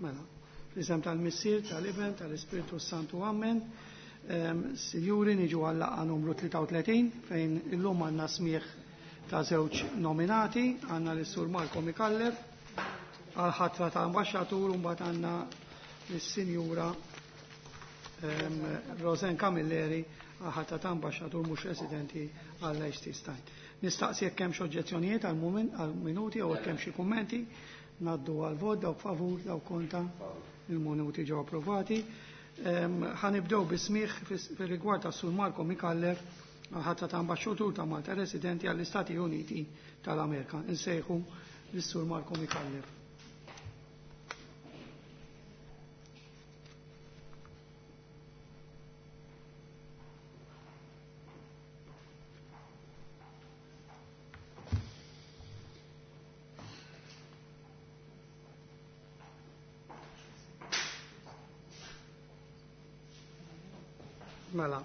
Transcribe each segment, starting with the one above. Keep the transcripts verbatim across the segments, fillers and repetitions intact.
Mela, fl-isem tal-Missier, tal-Iben, tal-Ispirtu Santu, Amen. Sinjuri, niġu għal-laqgħa numru tlieta u tletin fejn illum għandna smieħ ta' żewġ nominati, għandna lis-Sur Marco Micallef għal-ħatra ta' ambaxxatur u mbagħad għandna lis-Sinjura Rosanne Camilleri għal-ħatra ta' ambaxxatur mhux residenti għal Liechtenstein. Nistaqsi jekk hemm xi oġġezzjonijiet għal-minuti jew jekk hemm xi kummenti. Naddu għal-vot, dawk favur, dawk kontra, il-minuti ġew approvati. Ħanibdew bismieħ fir-rigward tas Sur Marco Micallef għal-ħatra ta' ambaxxatur ta' Malta residenti għall-Istati Uniti tal-Amerika. Insejħu lis-Sur Marco Micallef. Mela,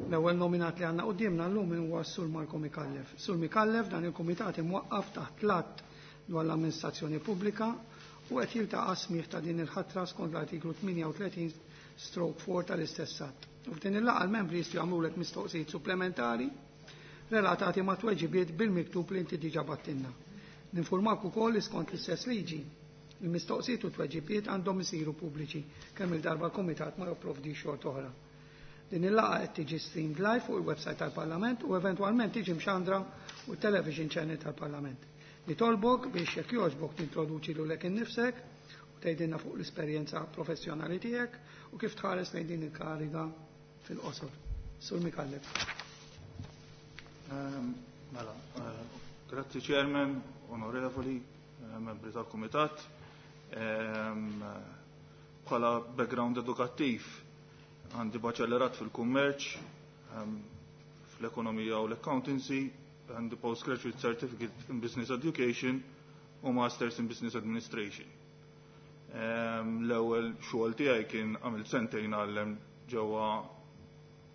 l-ewwel nominat li għandna quddiemna llum huwa s-Sur Marco Micallef. Sur Micallef dan il-kumitat imwaqqaf taħt l-att dwar l-amministrazzjoni pubblika u qed jiltaqa' smieħ ta' din il-ħatra skont l-artiklu tmienja u tletin stroke four tal-istess att. U f'din il-laqgħa l-membri jistgħu jagħmlulek mistoqsijiet supplementari relatati ma' tweġibiet bil-miktub li inti diġà battilna. Ninformak ukoll li skont l-istess liġi il-mistoqsijiet u tweġibiet għandhom isiru pubbliċi kemm il-darba l-kumitat ma jopprovdi xort oħra. Din il-laqgħa qed tiġi streamed live fuq il-website tal-Parlament u eventwalment tiġi mxandra u television channel tal-Parlament. Nitolbok biex jekk jogħġbok tintroduċi lilek innifsek u tgħidilna fuq l-esperjenza professjonali tiegħek u kif tħares lejn din il-kariga fil-qosor. Sur Micallef. Mela, grazzi Chairman, onorevoli, membri tal-Kumitat. Bħala background edukattiv għandi baċellerat fil-kummerċ, fl-ekonomija u l-accountancy, għandi postgraduate certificate in business education u masters in business administration. L-ewwel xogħol tiegħi kien għamilt sentejn għallem ġewwa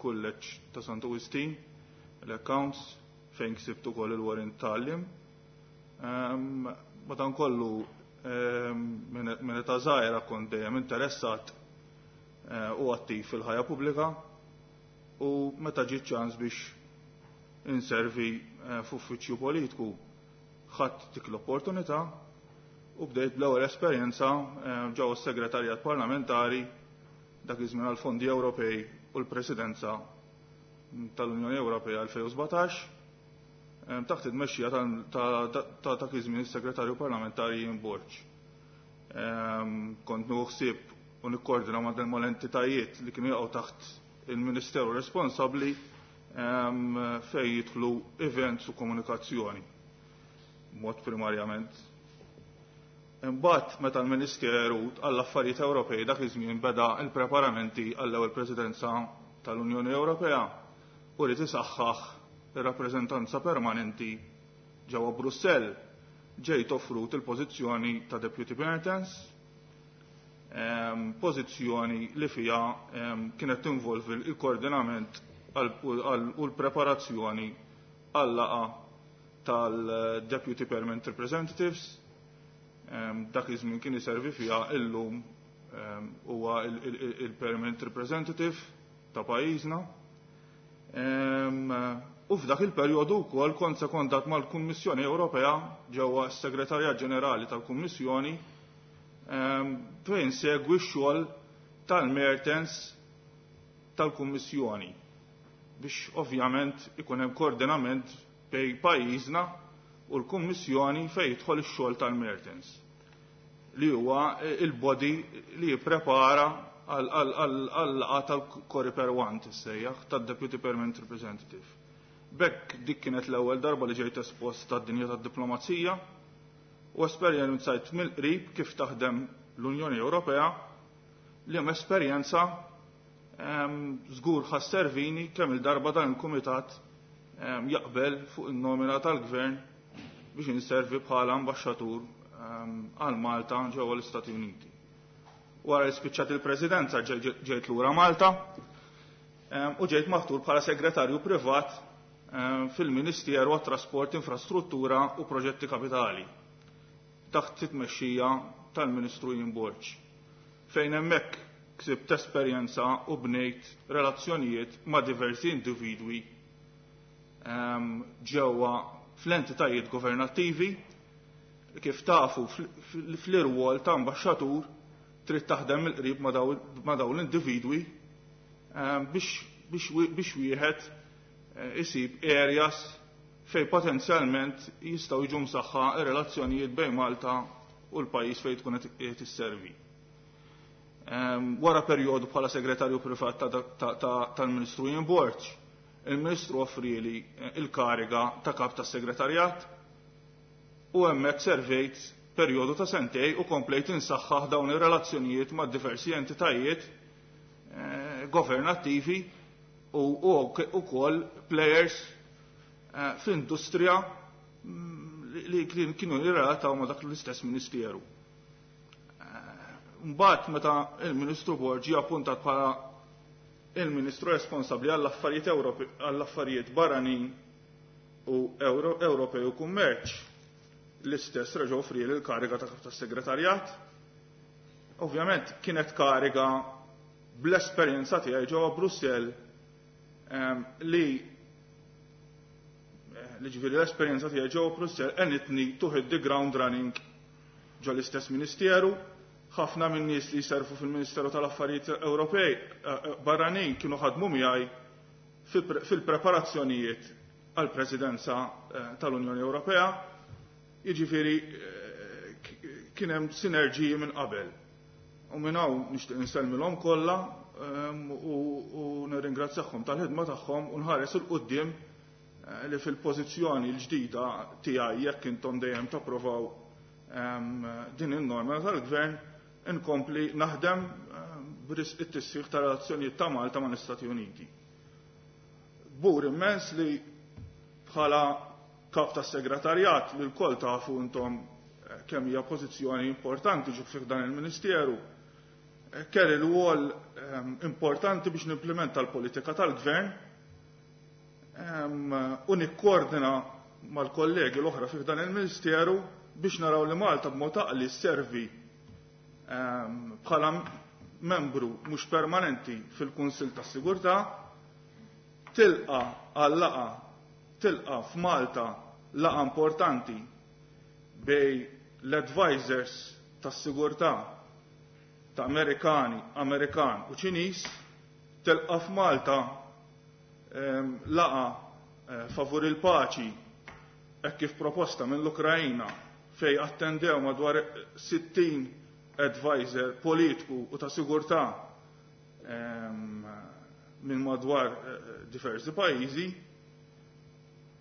kulleġġ ta' Santu Wistin, l-accounts, fejn ksibt ukoll il-warrant tgħallim. Madankollu minn età żgħira kont dejjem interessat u attiv fil-ħajja pubblika u meta ġiet ċans biex inservi f'uffiċċju politiku ħadd dik l-opportunità u bdejt bl-ewwel esperjenza ġewwa s-Segretarjat Parlamentari dak iż-żmien għall-Fondi Ewropej u l-Presidenza tal-Unjoni Ewropea elfejn u sbatax taħt it-tmexxija ta' dak iż-żmien is-Segretarju Parlamentari Ian Borg. Kont nieħu ħsieb u nikkoordina ma' mal-entitajiet li kienu jaqgħu taħt il-Ministeru responsabbli fejn jidħlu events u komunikazzjoni mod primarjament. Imbagħad meta l-Ministeru għall-Affarijiet Ewropej dak iż-żmien beda l-preparamenti għall-ewwel Presidenza tal-Unjoni Ewropea u rid isaħħaħ ir-rappreżentanza permanenti ġewwa Brussell, ġejt offrut il-pożizzjoni ta' Deputy Mertens, pożizzjoni li fiha kienet tinvolvi l-koordinament u l-preparazzjoni għal-laqgħa tal-Deputy Permanent Representatives. Dak iż-żmien kien iservi fiha, illum huwa il-Permanent Representative ta' pajjiżna. U f'dak il-perjodu wkoll kont sekondat mal-Kummissjoni Ewropea ġewwa s-Segretarjat Ġenerali tal-Kummissjoni fejn segwi x-xogħol tal-Mertens tal-Kummissjoni biex ovvjament ikun hemm koordinament bejn pajjiżna u l-Kummissjoni fejn jidħol ix-xogħol tal-Mertens li huwa il-body li jipprepara għal-laqgħa tal-Coreper one tissejjaħ tad-Deputy Permanent Representative. Bekk dik kienet l-ewwel darba li ġejt espost tad-dinja tad-diplomazija u esperjenzajt mill-qrib kif taħdem l-Unjoni Ewropea li hemm esperjenza żgur ħasservini kemm il-darba dan il-kumitat jaqbel fuq in-nomina tal-Gvern biex inservi bħala ambaxxatur għal Malta ġewwa l-Istati Uniti. Wara li spiċċat il-Presidenza ġejt lura Malta u ġejt maħtur bħala segretarju privat fil-Ministeru għat-Trasport, Infrastruttura u Proġetti Kapitali taħt it-tmexxija tal-Ministru Ian Borg, fejn hemmhekk ksibt esperjenza u bnejt relazzjonijiet ma' diversi individwi ġewwa fl-entitajiet governattivi. Kif tafu, fl-irwol ta' ambaxxatur trid taħdem mill-qrib ma' dawn l-individwi biex wieħed isib areas fejn potenzjalment jistgħu jiġu msaħħa r-relazzjonijiet bejn Malta u l-pajjiż fejn tkun qed isservi. Wara perjodu bħala segretarju privat tal-Ministru Ian Borg, il-Ministru offrieli il-kariga ta' kap tas-segretarjat u hemmhekk servejt perjodu ta' sentej u komplejt insaħħaħ dawn ir-relazzjonijiet ma' diversi entitajiet governattivi u wkoll players fl-industrija li kienu jirrelataw ma' dak l-istess ministeru. Mbagħad meta il-Ministru Borg ġie appuntat bħala il-Ministru responsabbli għall-affarijiet għall-affarijiet barranin u Ewropej u kummerċ, l-istess reġa' offrieli l-kariga ta' kap tas-segretarjat. Ovvjament kienet kariga bl-esperjenza tiegħi ġewwa Brussell, li li ġifieri l-esperjenza tiegħi ġewwa Brussell għenitni to hit the ground running ġo l-istess ministeru. Ħafna minn nies li jservu fil-Ministeru tal-Affarijiet Ewropej barranin kienu ħadmu miegħi fil-preparazzjonijiet għall-Presidenza tal-Unjoni Ewropea. Jiġifieri kien hemm sinerġiji minn qabel. U minn hawn nixtieq insellmilhom kollha u nirringrazzjahom tal-ħidma tagħhom u nħares il quddiem li fil-pożizzjoni l-ġdida tiegħi, jekk intom dejjem tapprovaw din in-norma tal-Gvern, inkompli naħdem b'risq it-tisħiħ ta' relazzjonijiet ta' Malta mal-Istati Uniti. Bur immens li bħala kap tas-segretarjat, li lkoll tafu intom kemm hija pożizzjoni importanti ġo fih dan il-Ministeru, kelli rwol importanti biex nimplementa l-politika tal-Gvern u nikkoordina mal-kollegi l-oħra fih dan il-Ministeru biex naraw li Malta b'mod għaqli sservi bħala membru mhux permanenti fil-Kunsill tas-Sigurtà, tilqa għal-laqgħa tilqa f'Malta laqgħa importanti bejn l-advisors tas-sigurtà ta' Amerikani, Amerikan u Ċiniż, tilqa f'Malta laqgħa favur il-paċi hekk kif proposta mill-Ukrajna, fej attendew madwar sittin advisor politiku u ta' sigurtà minn madwar diversi pajjiżi,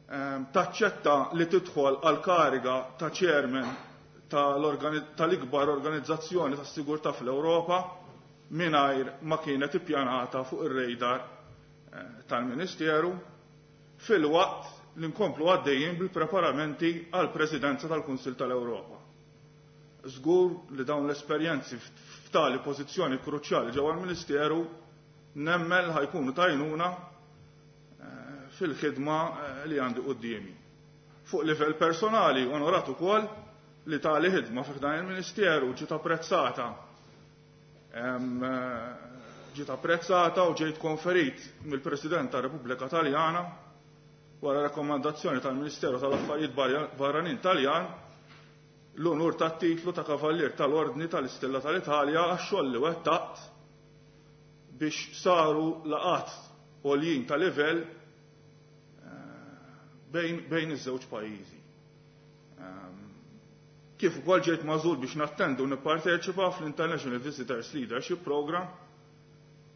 taċċetta li tidħol għal kariga ta' chairman tal-ikbar organizzazzjoni ta' sigurtà fl-Ewropa mingħajr ma kienet ippjanata fuq ir-radar tal-Ministeru, filwaqt li nkomplu għaddejjin bil-preparamenti għal Presidenza tal-Kunsill tal-Ewropa. Żgur li dawn l-esperjenzi f'tali pożizzjoni kruċjali ġewwa l-Ministeru nemmen ħajkunu tajnuna fil-ħidma li għandi quddiemi. Fuq livell personali onorat ukoll li tali ħidma fih dan il-Ministeru ġiet apprezzata ġiet apprezzata u ġejt konferit mill-President tar-Repubblika Taljana wara rakkomandazzjoni tal-Ministeru tal-Affarijiet Barranin Taljan l-onur tat-titlu ta' Kavallier tal-Ordni tal-Istella tal-Italja għax-xogħol li wettaqt biex saru laqat għoljin ta' livell bejn, bejn iż-żewġ pajjiżi. Kif ukoll ġejt magħżul biex nattendu nipparteċipa fl-International Visitors Leadership Program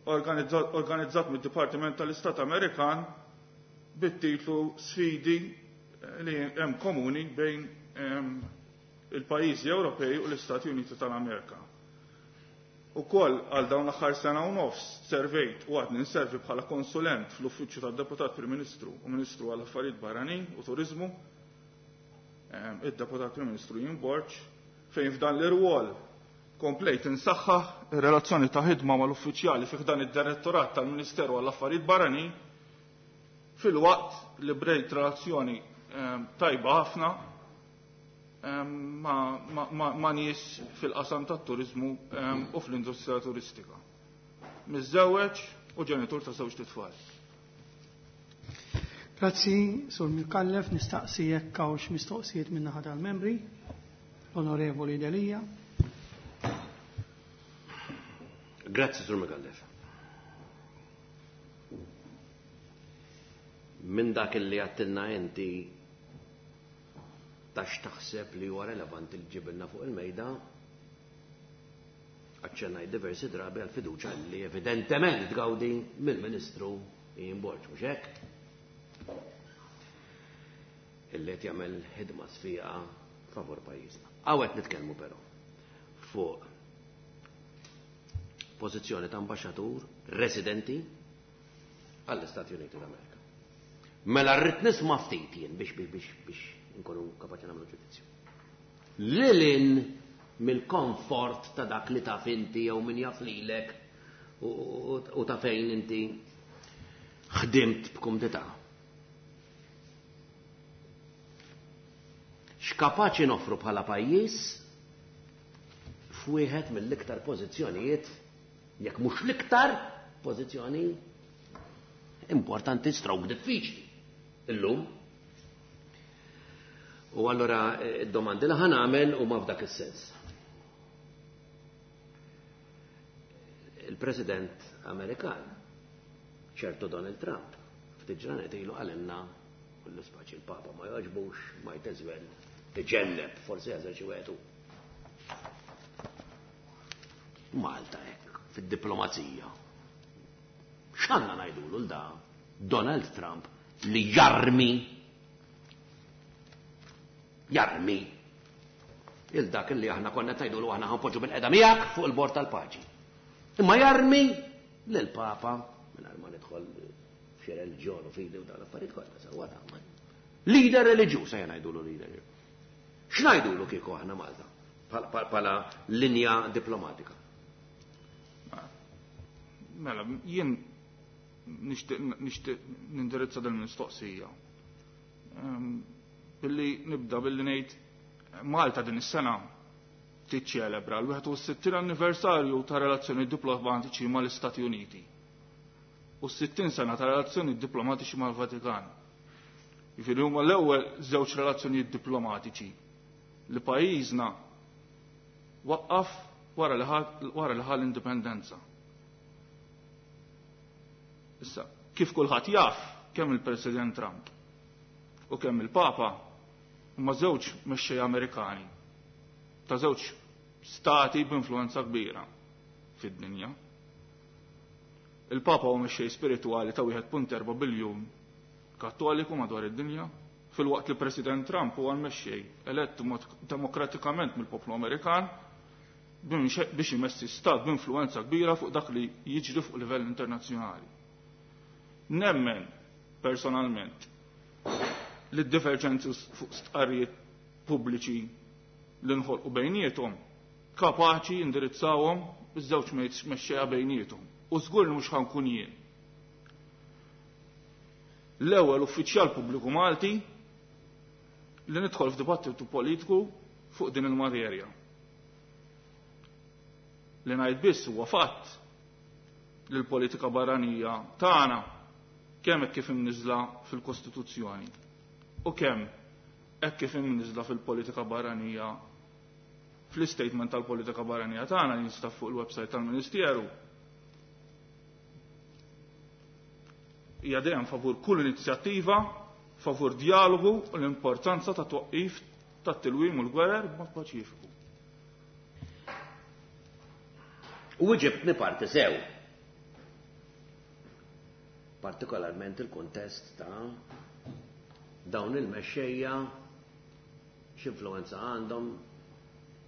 organizzat, organizzat mid-Dipartiment tal-Istat Amerikan bit-titlu Sfidi li hemm komuni bejn il-pajjiżi Ewropej u l-Istati Uniti tal-Amerika. Ukoll għal dawn l-aħħar sena u nofs servejt u għadni nservi bħala konsulent fl-Uffiċċju tad-Deputat Prim Ministru u Ministru għall Affarijiet Barranin u Turiżmu, id-Deputat Prim Ministru Ian Borg, fejn f'dan l-irwol komplejt insaħħaħ ir-relazzjoni ta' ħidma mal-uffiċjali fih dan id-Direttorat tal-Ministeru għall Affarijiet Barranin, filwaqt li brejt relazzjoni tajba ħafna ma', ma, ma, ma nies fil-qasam tat-turiżmu u fl-industrija turistika. Miżżewweġ u ġenitur ta' żewġ tfal. Grazzi, Sur Micallef, nistaqsi jekk hawnx mistoqsijiet min-naħa tal-membri. L-Onorevoli Delia. Grazzi, Sur Micallef. Minn dak li għattilna inti tax taħseb li huwa relevanti li ġibilna fuq il-mejda, aċċennaj diversi drabi għal fiduċa li evidentement tgawdi mill-Ministru Ian Borg, mhux hekk? Illi qed jagħmel ħidma sfiqa favur pajjiżna. Hawn nitkellmu però fuq pożizzjoni ta' ambaxxatur residenti għall-Istati Uniti d'Amerika. Mela rrid nisma' ftit jien biex biex biex biex nkunu kapaċi nagħmlu ġudizzju. Lilin mill-komfort ta' dak li taf inti jew min jaf lilek u ta' fejn inti ħdimt b'kumdità. X'kapaċi noffru bħala pajjiż f'wieħed mill-iktar pożizzjonijiet, jekk mhux l-iktar pożizzjoni importanti stroke diffiċli illum. U allura id-domandi li ħanamel huma f'dak is-sens. Il-President Amerikan, ċertu Donald Trump, ftit ġranet ilu qalilna u l-ispaċi il-Papa ma jogħġbux, might as well iġelleb, forsi jażel xi wieħed. Malta hekk, fid-diplomazija. X'għandna ngħidulu l da Donald Trump li jarmi jarmi il dak li aħna konna tgħidulu aħna ħanpoġġu bil-qeda miegħek fuq il-bord tal-paċi. Imma jarmi lill-Papa mingħajr ma nidħol f'xi reliġjon u fidi u dawn l-affarijiet kollha sewwa ta' leader reliġjuż ejja ngħidulu leader. X'ngħidulu kieku aħna Malta bħala linja diplomatika? Mela, jien nixtieq nixtieq nindirizza din il-mistoqsija. Billi nibda billi ngħid Malta din is-sena tiċċelebra l-wieħed u sittin anniversarju ta' relazzjoni diplomatiċi mal-Istati Uniti u sittin sena ta' relazzjoni diplomatiċi mal-Vatikan. Jiġifieri huma l-ewwel żewġ relazzjonijiet diplomatiċi li pajjiżna waqqaf wara li ħa l-indipendenza. Issa, kif kulħadd jaf, kemm il-President Trump u kemm il-Papa huma żewġ mexxejja Amerikani ta' żewġ stati b'influenza kbira fid-dinja. Il-Papa huwa mexxej spiritwali ta' wieħed punt erba' biljun kattoliku madwar id-dinja, filwaqt li President Trump huwa l-mexxej elett demokratikament mill-poplu Amerikan biex imessi stat b'influenza kbira fuq dak li jiġri fuq livell internazzjonali. Nemmen personalment li d-diverġenzi fuq stqarrijiet pubbliċi li nħolqu bejniethom kapaċi indirizzawhom iż-żewġ mexxejja bejniethom. U żgur li mhux ħankun jien l-ewwel uffiċjal pubbliku Malti li nidħol f'dibattitu politiku fuq din il-materja. Li ngħid biss huwa fatt li l-politika barranija tagħna kemm hekk kif imniżla fil-Kostituzzjoni u kemm hekk kif imniżla fil-politika barranija fl-istatement tal-politika barranija tagħna li jinstab fuq il-website tal-Ministeru hija dejjem favur kull inizjattiva, favur dialogu u l-importanza ta' twaqqif tat-tilwim u l-gwerer b'mod paċifiku. U ġibtni parti sew. Partikolarment il-kontest ta' dawn il-mexxejja x'influenza għandhom,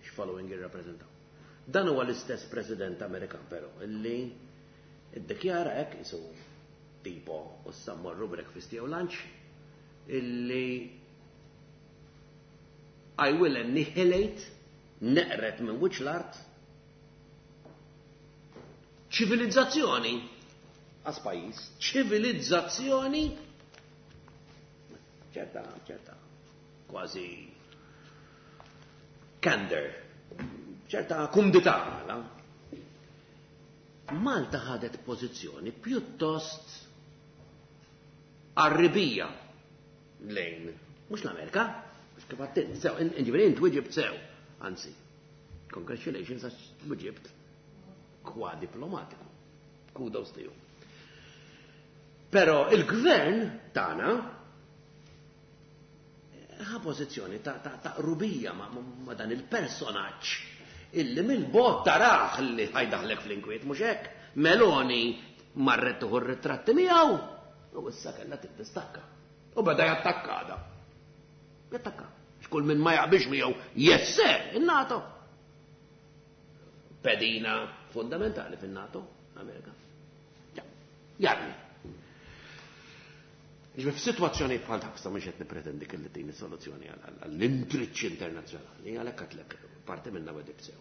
x'following jirrappreżentaw. Dan huwa l-istess President Amerikan però illi iddikjara hekk isu tipo u sammorru breakfast jew lunch illi I will annihilate, neqret minn wiċċ l-art ċivilizzazzjoni għas pajjiż, ċivilizzazzjoni ċerta, ċerta, kważi candor, ċerta kumdità. Malta ħadet pożizzjoni pjuttost arribija lejn, mhux l-Amerika, mhux kif għattin, sew, ġifieri int wieġibt sew, anzi, congratulations għax wieġibt kwa diplomatiku, kudos to you. Però il-gvern tagħna ħa pożizzjoni ta', ta, ta' rubija ma, ma dan il-personaġġ illi mill-bot taraħ li ħajdaħlek fl-inkwiet, mhux hekk. Meloni marret tuħu r-ritratti miegħu u issa kellha tiddistakka. U beda jattakka da. Jattakka. Xkull minn ma jaqbilx miegħu, yes sir, in-NATO. Pedina fundamentali fin-NATO, Amerika. Jarmi. Ġifieri f'sitwazzjoni bħal dak sa mhux qed nippretendi kelli tini soluzzjoni għall-intriċċ internazzjonali, għalhekk għatlek parti minna wedib sew.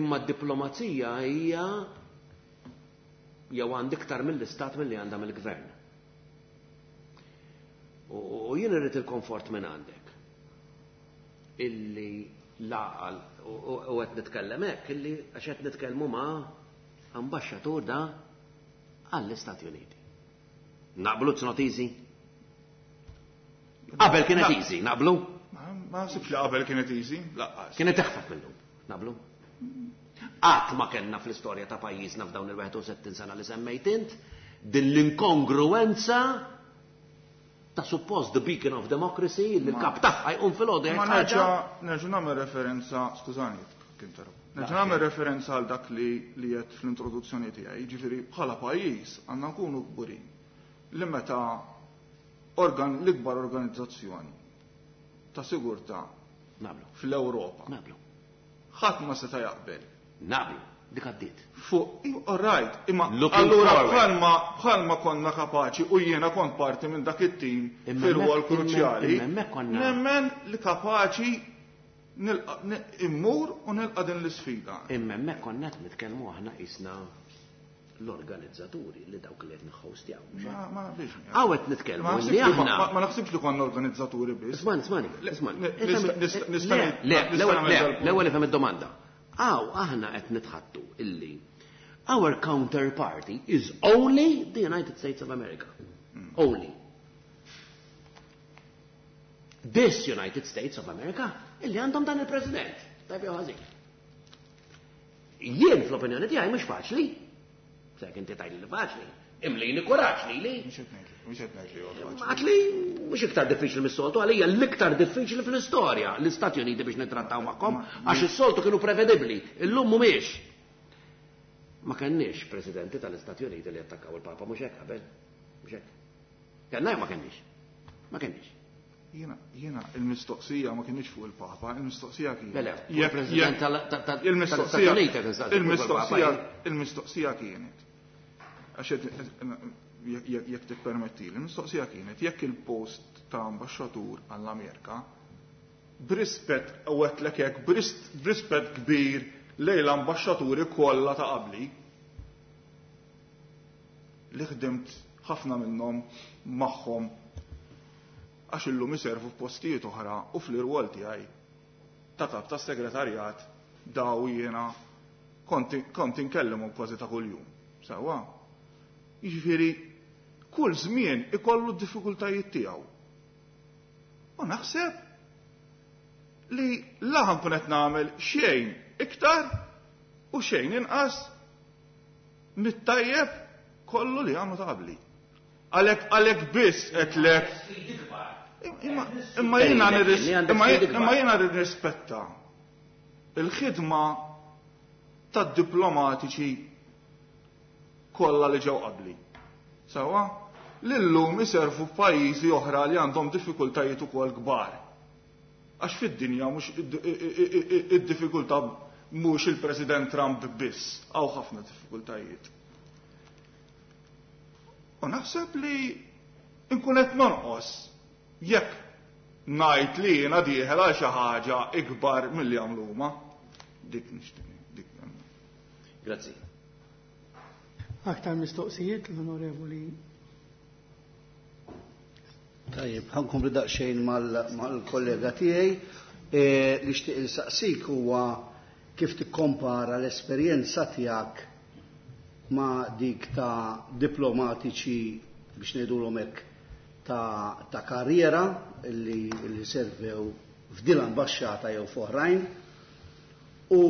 Imma d-diplomazija hija jew għand iktar mill-istat milli għandha mill-gvern. U jien irrid il-komfort minn għandek. Illi laqal u qed nitkellem hekk illi għax qed nitkellmu ma' ambaxxatur da għall-Istati Uniti. Naqblu it's not easy? Qabel kienet easy, naqblu? Ma naħsibx li qabel kienet easy, laqqas. Kienet eħfef minnhom, naqblu? Qatt ma kellna fl-istorja ta' pajjiżna f'dawn il-wieħed u sittin sena li semmejt int, din l-inkongruenza ta' suppost the beacon of democracy li l-kap tagħha jqum fil-għodu. Ma nerġa' nerġa' nagħmel referenza, skużani, kinterromp. Nerġa' nagħmel referenza għal dak li li qed fl-introduzzjoni tiegħi, jiġifieri bħala pajjiż għandna nkunu kburin li meta organ l-ikbar organizzazzjoni ta' sigurtà fl-Ewropa. Naqblu. Ħadd ma seta' jaqbel. Naqblu, dik għaddiet. Fuq, all right, imma allura bħalma bħalma konna kapaċi u jiena kont parti minn dak it-tim fir-rwol kruċjali. Nemmen li kapaċi immur u nilqa' din l-isfida. Imma hemmhekk konna qed nitkellmu aħna qisna l-organizzaturi li dawk li qed nħostjaw. Ma nafx. Hawn qed nitkellmu li aħna. Ma naħsibx li konna organizzaturi biss. Ismani, ismani, ismani. L-ewwel ifhem id-domanda. Aw aħna qed nitħattu illi our counterparty is only the United States of America. Only. This United States of America illi għandhom dan il-President. Tajb jew ħażin. Jien fl-opinjoni tiegħi mhux faċli. Sek inti tgħidli li faċli. Imlini kuraġġ lili. Mhux qed ngħid li huwa faċli. Għatli mhux iktar diffiċli mis-soltu, għalija l-iktar diffiċli fl-istorja l-Istati Uniti biex nittrattaw magħhom għax is-soltu kienu prevedibbli, illum mhumiex. Ma kenniex presidenti tal-Istati Uniti li attakkaw il-Papa mhux hekk qabel. Mhux hekk. Kellna jew ma kenniex? Ma kenniex. Jiena jiena il-mistoqsija ma kienx fuq il-Papa, il-mistoqsija kienet. Le, le, il-President tal-Istati Uniti il-mistoqsija il-mistoqsija kienet. Għax jekk tippermetti, il-mistoqsija kienet jekk il-post ta' ambaxxatur għall-Amerika b'rispett u għedtlek hekk b'rispett kbir lejn l-ambaxxaturi kollha ta' qabli li ħdimt ħafna minnhom magħhom għax illum iservu f'postijiet oħra u fl-irwol tiegħi ta' kap tas segretarjat daw jiena kont inkellimhom kważi ta' kuljum. Sewwa. Jiġifieri kull żmien ikollu d-diffikultajiet tiegħu. U naħseb li laħan kun qed nagħmel xejn iktar u xejn inqas mit-tajjeb kollu li għamlu ta' qabli. Għalhekk għalhekk biss qedlek. Imma jiena imma jiena nirrispetta il-ħidma tad-diplomatiċi kollha li ġew qabli. Sewwa? Li llum iservu f'pajjiżi oħra li għandhom diffikultajiet ukoll kbar. Għax fid-dinja mhux id-diffikultà mhux il-President Trump biss, hawn ħafna diffikultajiet. U naħseb li nkun qed nonqos jekk ngħid li jiena dieħel għal xi ħaġa ikbar milli għamlu huma. Dik nixtieq, dik. Grazzi. Aktar mistoqsijiet l-Onorevoli. Tajjeb, ħa nkompli daqsxejn mal-kollega tiegħi. Li nixtieq insaqsik huwa kif tikkompara l-esperjenza tiegħek ma' dik ta' diplomatiċi, biex ngħidulhom hekk, ta', ta' karriera li, li servew f'din l-ambaxxata jew f'oħrajn, u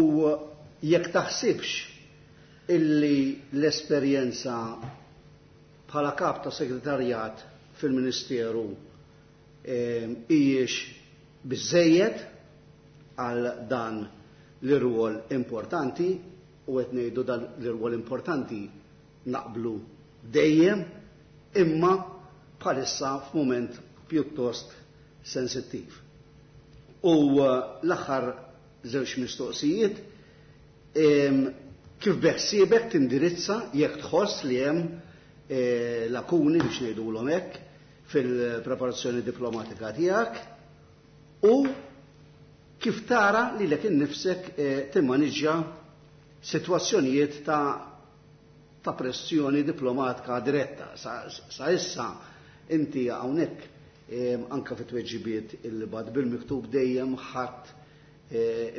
jekk taħsibx illi l-esperjenza bħala kap ta' segretarjat fil-Ministeru hijiex biżejjed għal dan l-irwol importanti, u qed ngħidu dan l-irwol importanti naqblu dejjem, imma bħalissa f'mument pjuttost sensittiv. U l-aħħar żewġ mistoqsijiet, kif beħsiebek tindirizza jekk tħoss li hemm lakuni, biex ngħidulhom hekk, fil-preparazzjoni diplomatika tiegħek, u kif tara lilek innifsek timmaniġġja sitwazzjonijiet ta' ta' pressjoni diplomatika diretta. Sa, sa issa inti hawnhekk anka fit-tweġibiet il-bad bil-miktub dejjem ħadd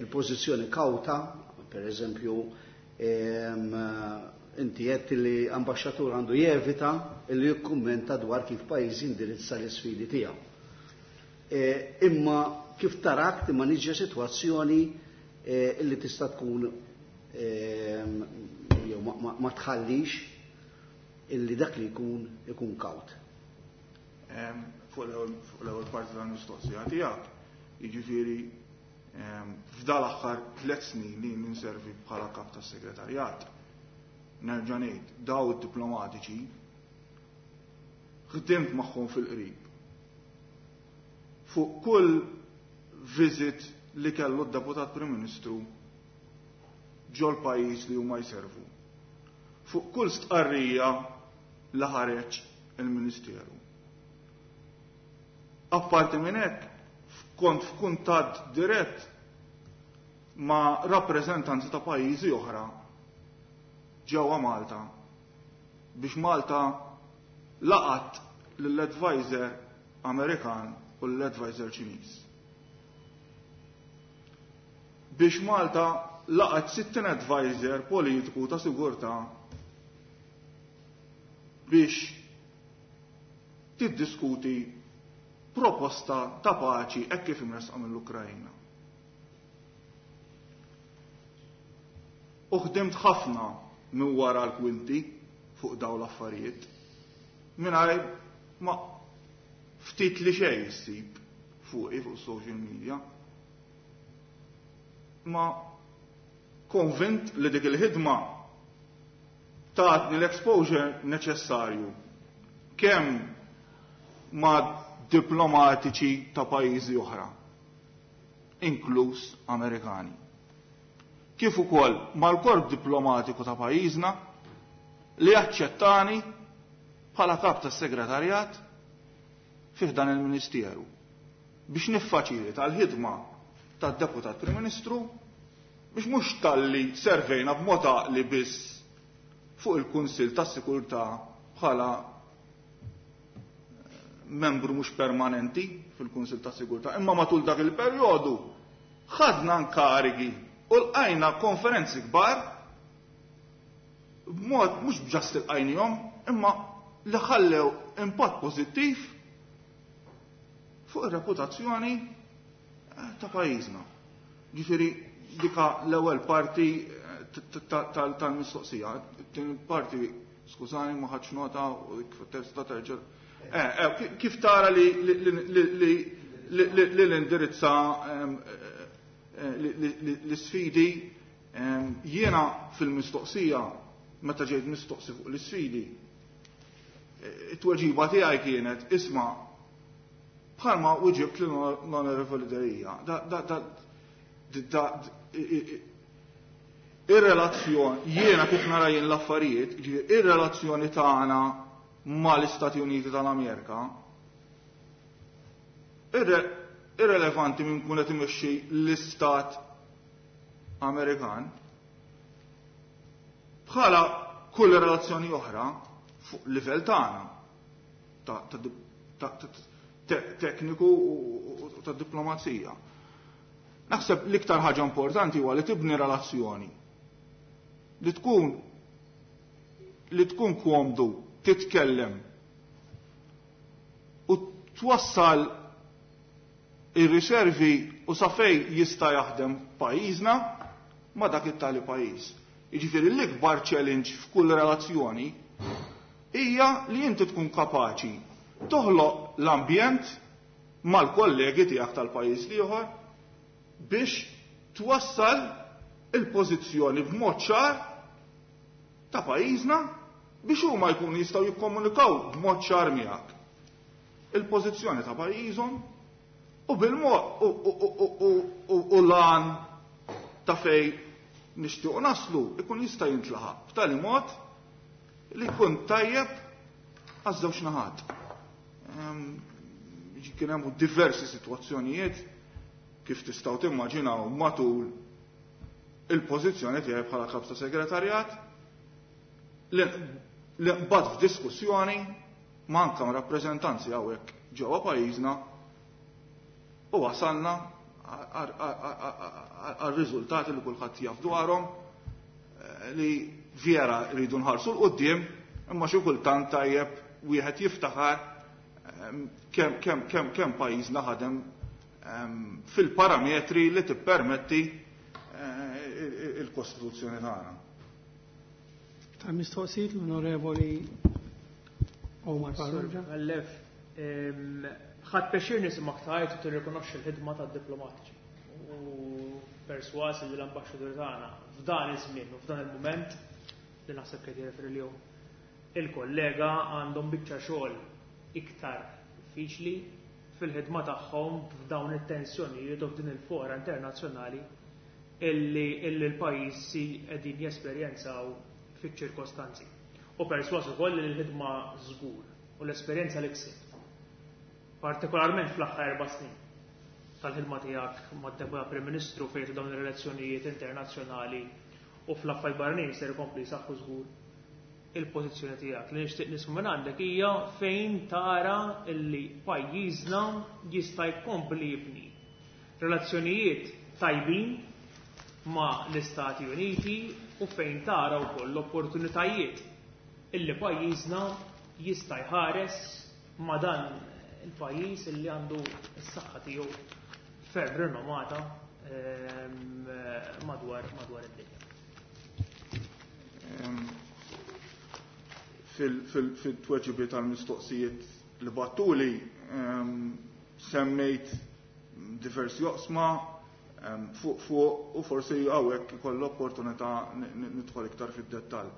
il-pożizzjoni kawta, per eżempju, inti għedt li ambaxxatur għandu jevita li jikkummenta dwar kif pajjiż indirizza l-isfidi tiegħu. Imma kif tarak timmaniġġja sitwazzjoni illi tista' tkun jew ma tħallix illi dak li jkun ikun kawt. Fuq l-ewwel parti tal-mistoqsija tiegħek, jiġifieri f'dal-aħħar tliet snin li ninservi bħala kap tas-segretarjat, nerġa' ngħid daw id-diplomatiċi ħdimt magħhom fil-qrib. Fuq kull visit li kellu d-deputat Prim Ministru ġol pajjiż li huma jservu. Fuq kull stqarrija li ħareġ il-Ministeru. Apparti minn hekk, kont f'kuntatt dirett ma' rappreżentanti ta' pajjiżi oħra ġewwa Malta biex Malta laqat lill-advisor Amerikan u l-advisor Ċiniż. Biex Malta laqat sittin advisor politiku ta' sigurtà biex tiddiskuti proposta ta' paċi hekk kif imresqa mill-Ukrajna. U ħdimt ħafna minn wara l-kwinti fuq dawn l-affarijiet mingħajr ma ftit li xejn issib fuqi fuq social media. Ma konvint li dik il-ħidma tatni l-exposure neċessarju kemm ma' diplomatiċi ta' pajjiżi oħra, inkluż Amerikani, kif ukoll mal-korp diplomatiku ta' pajjiżna li aċċettani bħala kap tas-segretarjat fih dan il-Ministeru biex niffaċilita l-ħidma tad-deputat Prim Ministru biex mhux talli servejna b'mod għaqli biss fuq il-Kunsill tas-Sigurtà bħala membru mhux permanenti fil-Kunsill tas-Sigurtà, imma matul dak il-perjodu ħadna nkarigi u lqajna konferenzi kbar b'mod mhux b'ġast ilqajnihom, imma li ħallew impatt pożittiv fuq ir-reputazzjoni ta' pajjiżna. Ġifieri dika l-ewwel parti tal-mistoqsija. Tieni parti, skużani, ma ħadx nota u kif tista' terġa'. Kif tara li l-indirizza l-isfidi, jiena fil-mistoqsija meta ġejt mistoqsi fuq l-isfidi, it-tweġiba tiegħi kienet isma' bħalma wieġibt l-Onorevoli Delia. Ir-relazzjoni, jiena kif nara jien l-affarijiet, ir-relazzjoni tagħna mal-Istati Uniti tal-Amerika irrelevanti minn kun qed imexxi l-Istat Amerikan, bħala kull relazzjoni oħra fuq livell tagħna tekniku u ta' diplomazija. Naħseb l-iktar ħaġa importanti huwa li tibni relazzjoni li tkun li tkun komdu titkellem u twassal ir-riservi u sa fejn jista' jaħdem pajjiżna ma' dak it-tali pajjiż. Jiġifieri l-ikbar challenge f'kull relazzjoni hija li inti tkun kapaċi toħloq l-ambjent mal-kollegi tiegħek tal-pajjiż l-ieħor biex twassal il-pożizzjoni b'mod ċar ta' pajjiżna biex huma jkunu jistgħu jikkomunikaw b'mod ċar miegħek. Il-pożizzjoni ta' pajjiżhom u bil-mod u lan ta' fej nixtiequ naslu ikun jista' jintlaħaq b'tali mod li jkun tajjeb għaż-żewġ naħat. Kien hemm diversi sitwazzjonijiet kif tistgħu timmaġinaw matul il-pożizzjoni tiegħi bħala kap ta' segretarjat li nqbad f'diskussjoni ma' anke ma' rappreżentanzi hawnhekk ġewwa pajjiżna u wasalna għal-riżultati li kulħadd jaf dwarhom li vera rridu nħarsu 'l quddiem imma xi kultant tajjeb wieħed jiftaħar kemm kemm kemm kemm pajjiżna ħadem fil-parametri li tippermetti il-Kostituzzjoni tagħna. Ta' mistoqsijiet l-Onorevoli Omar Farrugia. Għallef, ħadd pjaċir nismak tajt u tirrikonoxxi l-ħidma tad-diplomatiċi. U perswas li l-ambaxxatur tagħna f'dan iż-żmien u f'dan il-mument li naħseb qed jirreferi lihom il-kollega għandhom biċċa xogħol iktar diffiċli fil-ħidma tagħhom f'dawn it-tensjonijiet u f'din il-fora internazzjonali illi l-pajjiżi qegħdin jesperjenzaw fiċ-ċirkostanzi. U perswas ukoll li l-ħidma żgur u l-esperjenza li ksibt, partikolarment fl-aħħar erba' snin tal-ħidma tiegħek mad-Deputat Prim Ministru fejn dawn ir-relazzjonijiet internazzjonali u fl-affarijiet barranin ser ikompli jsaħħu żgur il-pożizzjoni tiegħek. Li nixtieq nisma' minn għandek hija fejn tara illi pajjiżna jista' jkompli jibni relazzjonijiet tajbin ma' l-Istati Uniti u fejn tara wkoll l-opportunitajiet illi pajjiżna jista' jħares ma' dan il-pajjiż illi għandu s-saħħa tiegħu ferm rinomata madwar madwar id-dinja. Fil-tweġibiet tal-mistoqsijiet li battuli semmejt diversi oqsma fuq fuq u forsi hawnhekk ikoll l-opportunità nidħol iktar fid-dettall.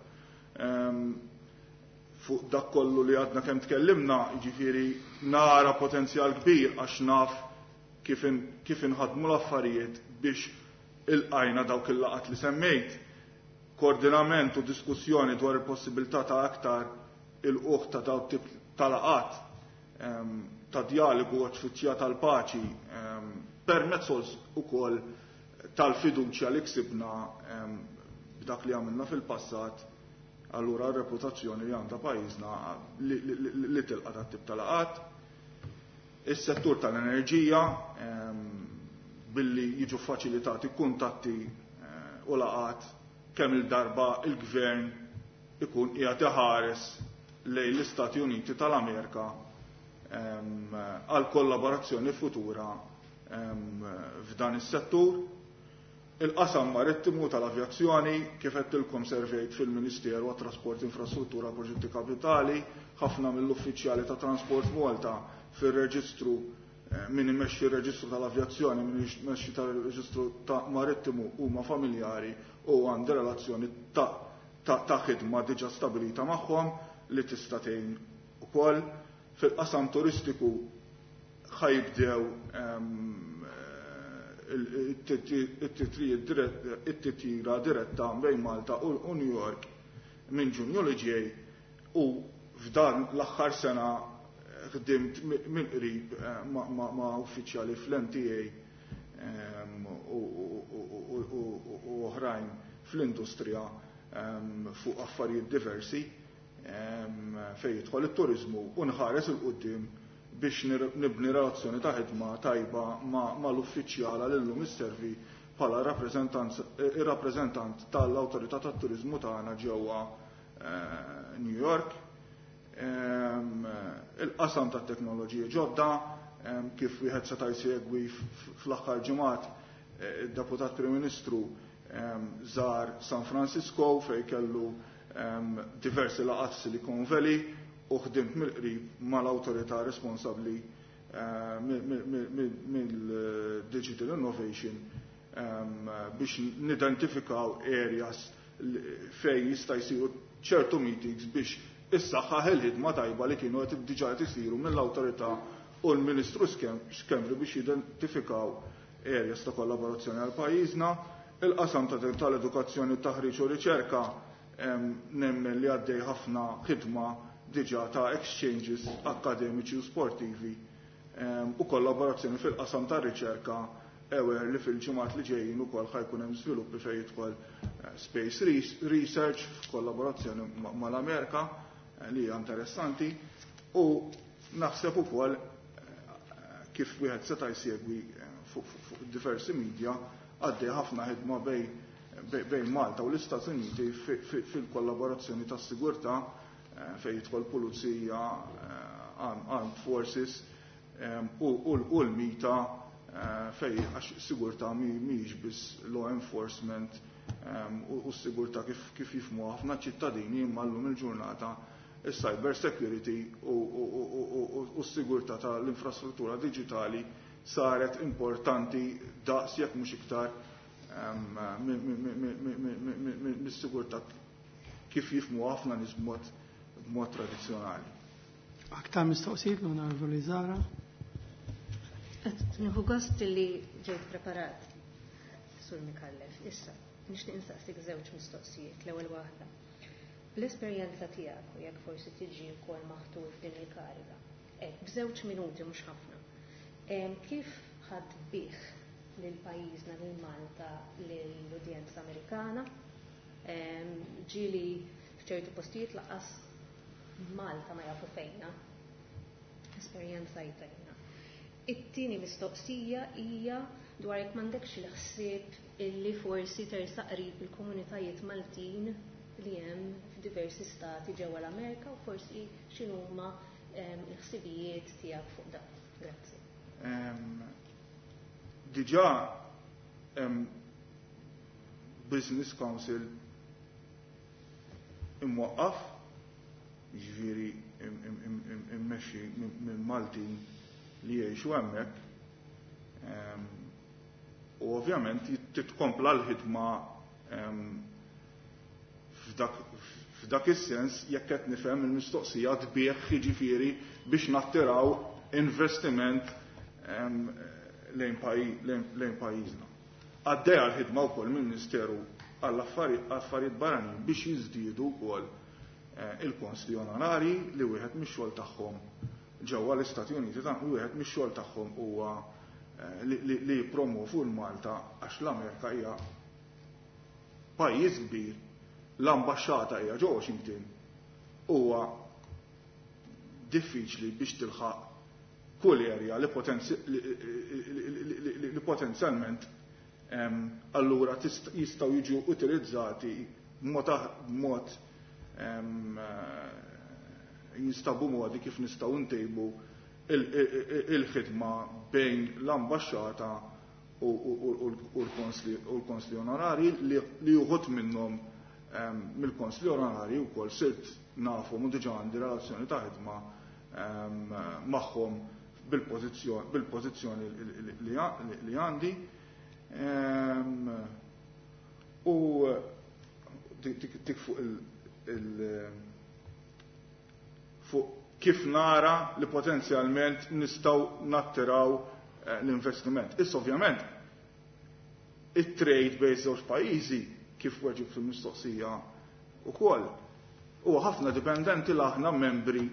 Fuq dak kollu li għadna kemm tkellimna, jiġifieri nara potenzjal kbir għax naf kif kif inħadmu l-affarijiet biex ilqajna dawk il-laqat li semmejt. Koordinament u diskussjoni dwar il-possibilità ta' aktar il-uħ ta' dawk tip ta' laqat ta' dialogu u tfittxija tal-paċi permezz ukoll tal-fiduċja li ksibna b'dak li għamilna fil-passat, allura r-reputazzjoni li għandha pajjiżna li tilqa' dat tip ta' laqat. Is-settur tal-enerġija billi jiġu faċilitati kuntatti u laqat kemm il-darba il-gvern ikun qiegħed iħares lejn l-Istati Uniti tal-Amerika għal kollaborazzjoni futura f'dan is-settur. Il-qasam marittimu tal-avjazzjoni, kif għedtilkom servejt fil-Ministeru għat-Trasport Infrastruttura Proġetti Kapitali, ħafna mill-uffiċjali ta' Transport Malta fir-reġistru, min imexxi r-reġistru tal-avjazzjoni, min imexxi tal-reġistru ta' marittimu huma familjari u għandi relazzjoni ta' ta' ħidma diġà stabilita magħhom li tista' tgħin ukoll. Fil-qasam turistiku ħajbdew it-titjira diretta bejn Malta u New York minn Ġunju li ġej u f'dan l-aħħar sena ħdimt minn qrib ma' uffiċjali fl-M T A u oħrajn fl-industrija fuq affarijiet diversi fejn jidħol it-turizmu u nħares il quddiem biex nibni relazzjoni ta' ħidma tajba mal-uffiċjala li llum isservi bħala ir-rappreżentant tal-Awtorità tat-Turiżmu tagħna ġewwa New York. Il-qasam tat-teknoloġiji ġodda, kif wieħed seta' jsegwi fl-aħħar ġimgħat, id-Deputat Prim Ministru żar San Francisco fejn kellu diversi laqgħat Silicon Valley u ħdimt mill-qrib mal-awtorità responsabbli mill-Digital Innovation biex nidentifikaw areas fejn jista' jsiru ċertu meetings biex issaħħaħ il-ħidma tajba li kienu qed diġà qed isiru mill-awtorità u l-Ministru Schembri biex jidentifikaw areas ta' kollaborazzjoni għal pajjiżna. Il-qasam tal-edukazzjoni, taħriġ u riċerka nemmen li għaddej ħafna ħidma diġà ta' exchanges akademiċi u sportivi u kollaborazzjoni fil-qasam ta' riċerka ewer li fil-ġimgħat li ġejjin ukoll ħajkun hemm żviluppi fejn jidħol space research f'kollaborazzjoni mal-Amerika li hija interessanti, u naħseb ukoll kif wieħed seta' jsegwi fuq diversi media għaddej ħafna ħidma bejn Malta u l-Istati Uniti fil-kollaborazzjoni tas-sigurtà fejn jidħol pulizija, armed forces u l-mita fejn għax sigurtà mhijiex biss law enforcement u s-sigurtà kif jifhmu ħafna ċittadini, imma llum il-ġurnata il-cyber security u s-sigurtà tal-infrastruttura digitali saret importanti daqs jekk mhux iktar mis-sigurtà kif jifhmu ħafna nies b'mod tradizzjonali. Aktar mistoqsijiet l-Onorevoli Zara? Nieħu gost li ġejt preparat, Sur Micallef. Issa, nixtieq insaqsik żewġ mistoqsijiet. L-ewwel waħda. L-esperjenza tiegħek u jekk forsi tiġi wkoll maħtur f'din il-kariga. Hekk b'żewġ minuti mhux ħafna. Kif ħadd bih lil pajjiżna, lil Malta, lill-udjenza Amerikana? Ġieli f'ċertu postijiet laqas Malta ma jafu fejna. Esperjenza jtajna. It-tieni mistoqsija hija dwar jekk m'għandekx il-ħsieb illi forsi tersaq qrib il-komunitajiet Maltin li hemm f'diversi stati ġewwa l-Amerika u forsi x'inhuma l-ħsibijiet tiegħek fuq dan. Grazzi. Diġà hemm Business Council imwaqqaf, jiġifieri immexxi minn Maltin li jgħixu hemmhekk, u ovvjament titkompla l-ħidma f'dak is-sens jekk qed nifhem il-mistoqsija tbieħ jiġifieri biex nattiraw investiment lejn pajjiżna. Għaddejja l-ħidma wkoll mill-Ministeru għall-Affarijiet Barranin biex jiżdiedu wkoll il-konsli onorari li wieħed mix-xogħol tagħhom ġewwa l-Istati Uniti, ta' wieħed mix-xogħol tagħhom huwa li jippromovu l-Malta għax l-Amerika hija pajjiż kbir, l-ambaxxata hija ġo Washington, huwa diffiċli biex tilħaq kull area li potenzjalment allura jistgħu jiġu utilizzati b'mod jinstabu modi kif nistgħu ntejbu il-ħidma bejn l-ambaxxata u l-konsli onorari li uħut minnhom mill-konsli onorari wkoll sirt nafhom u diġà għandi relazzjoni ta' ħidma magħhom bil-pożizzjoni li għandi. U dik fuq il fuq kif nara li potenzjalment nistgħu nattiraw l-investiment. Issa ovvjament it-trade bejn żewġ pajjiżi kif weġib fil-mistoqsija ukoll huwa ħafna dipendenti l aħna membri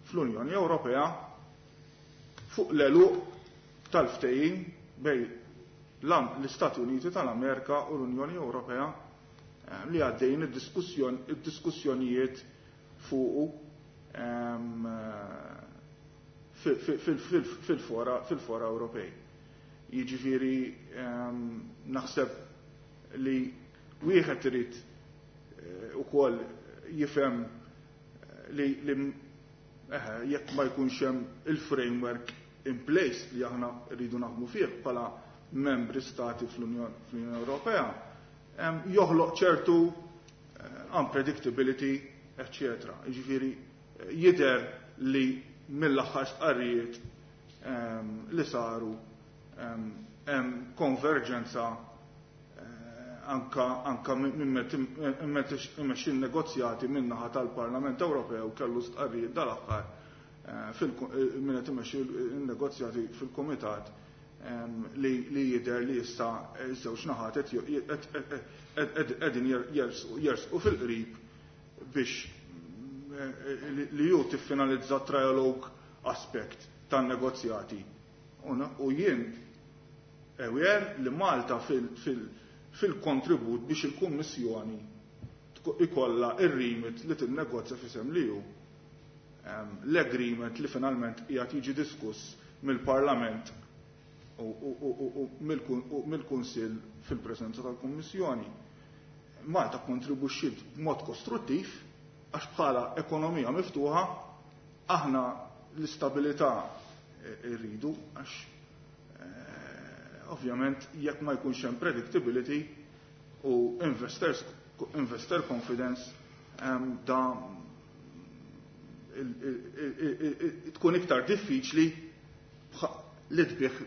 fl-Unjoni Ewropea fuq l-eluq tal-ftehim bejn l-Istati Uniti tal-Amerika u l-Unjoni Ewropea li għaddejn id-diskussjonijiet fuqu fil-fora fil-fora Ewropej. Jiġifieri ehm, naħseb li wieħed irid eh, ukoll jifhem li, li eh, jekk ma jkunx hemm il-framework in place li aħna rridu naħdmu fih bħala membri stati fl-Unjoni Ewropea, ehm, joħloq ċertu eh, unpredictability, eccetera. Jiġifieri jidher li mill-aħħar stqarrijiet ehm, li saru ehm, hemm konverġenza eh, anka anka minn imexxi negozjati min-naħa tal-Parlament Ewropew kellu stqarrijiet dal-aħħar eh, eh, minn qed imexxi n-negozjati fil-Kumitat ehm, li li jidher li issa żewġ naħat qegħdin jersqu fil-qrib biex li ju tiffinalizza trialogue aspect tan-negozjati. U jien aware li Malta fil-kontribut biex il-Kummissjoni ikolla ir-remit li tinnegozja f'isem li hu l-agreement li finalment qiegħed jiġi diskuss mill-Parlament u mill-Kunsill fil-preżenza tal-Kummissjoni. Malta kontribwixxiet b'mod kostruttiv għax bħala ekonomija miftuħa aħna l-istabilità rridu għax eh, ovvjament jekk ma jkunx hemm predictability u investors investor confidence um, da tkun iktar diffiċli li tbih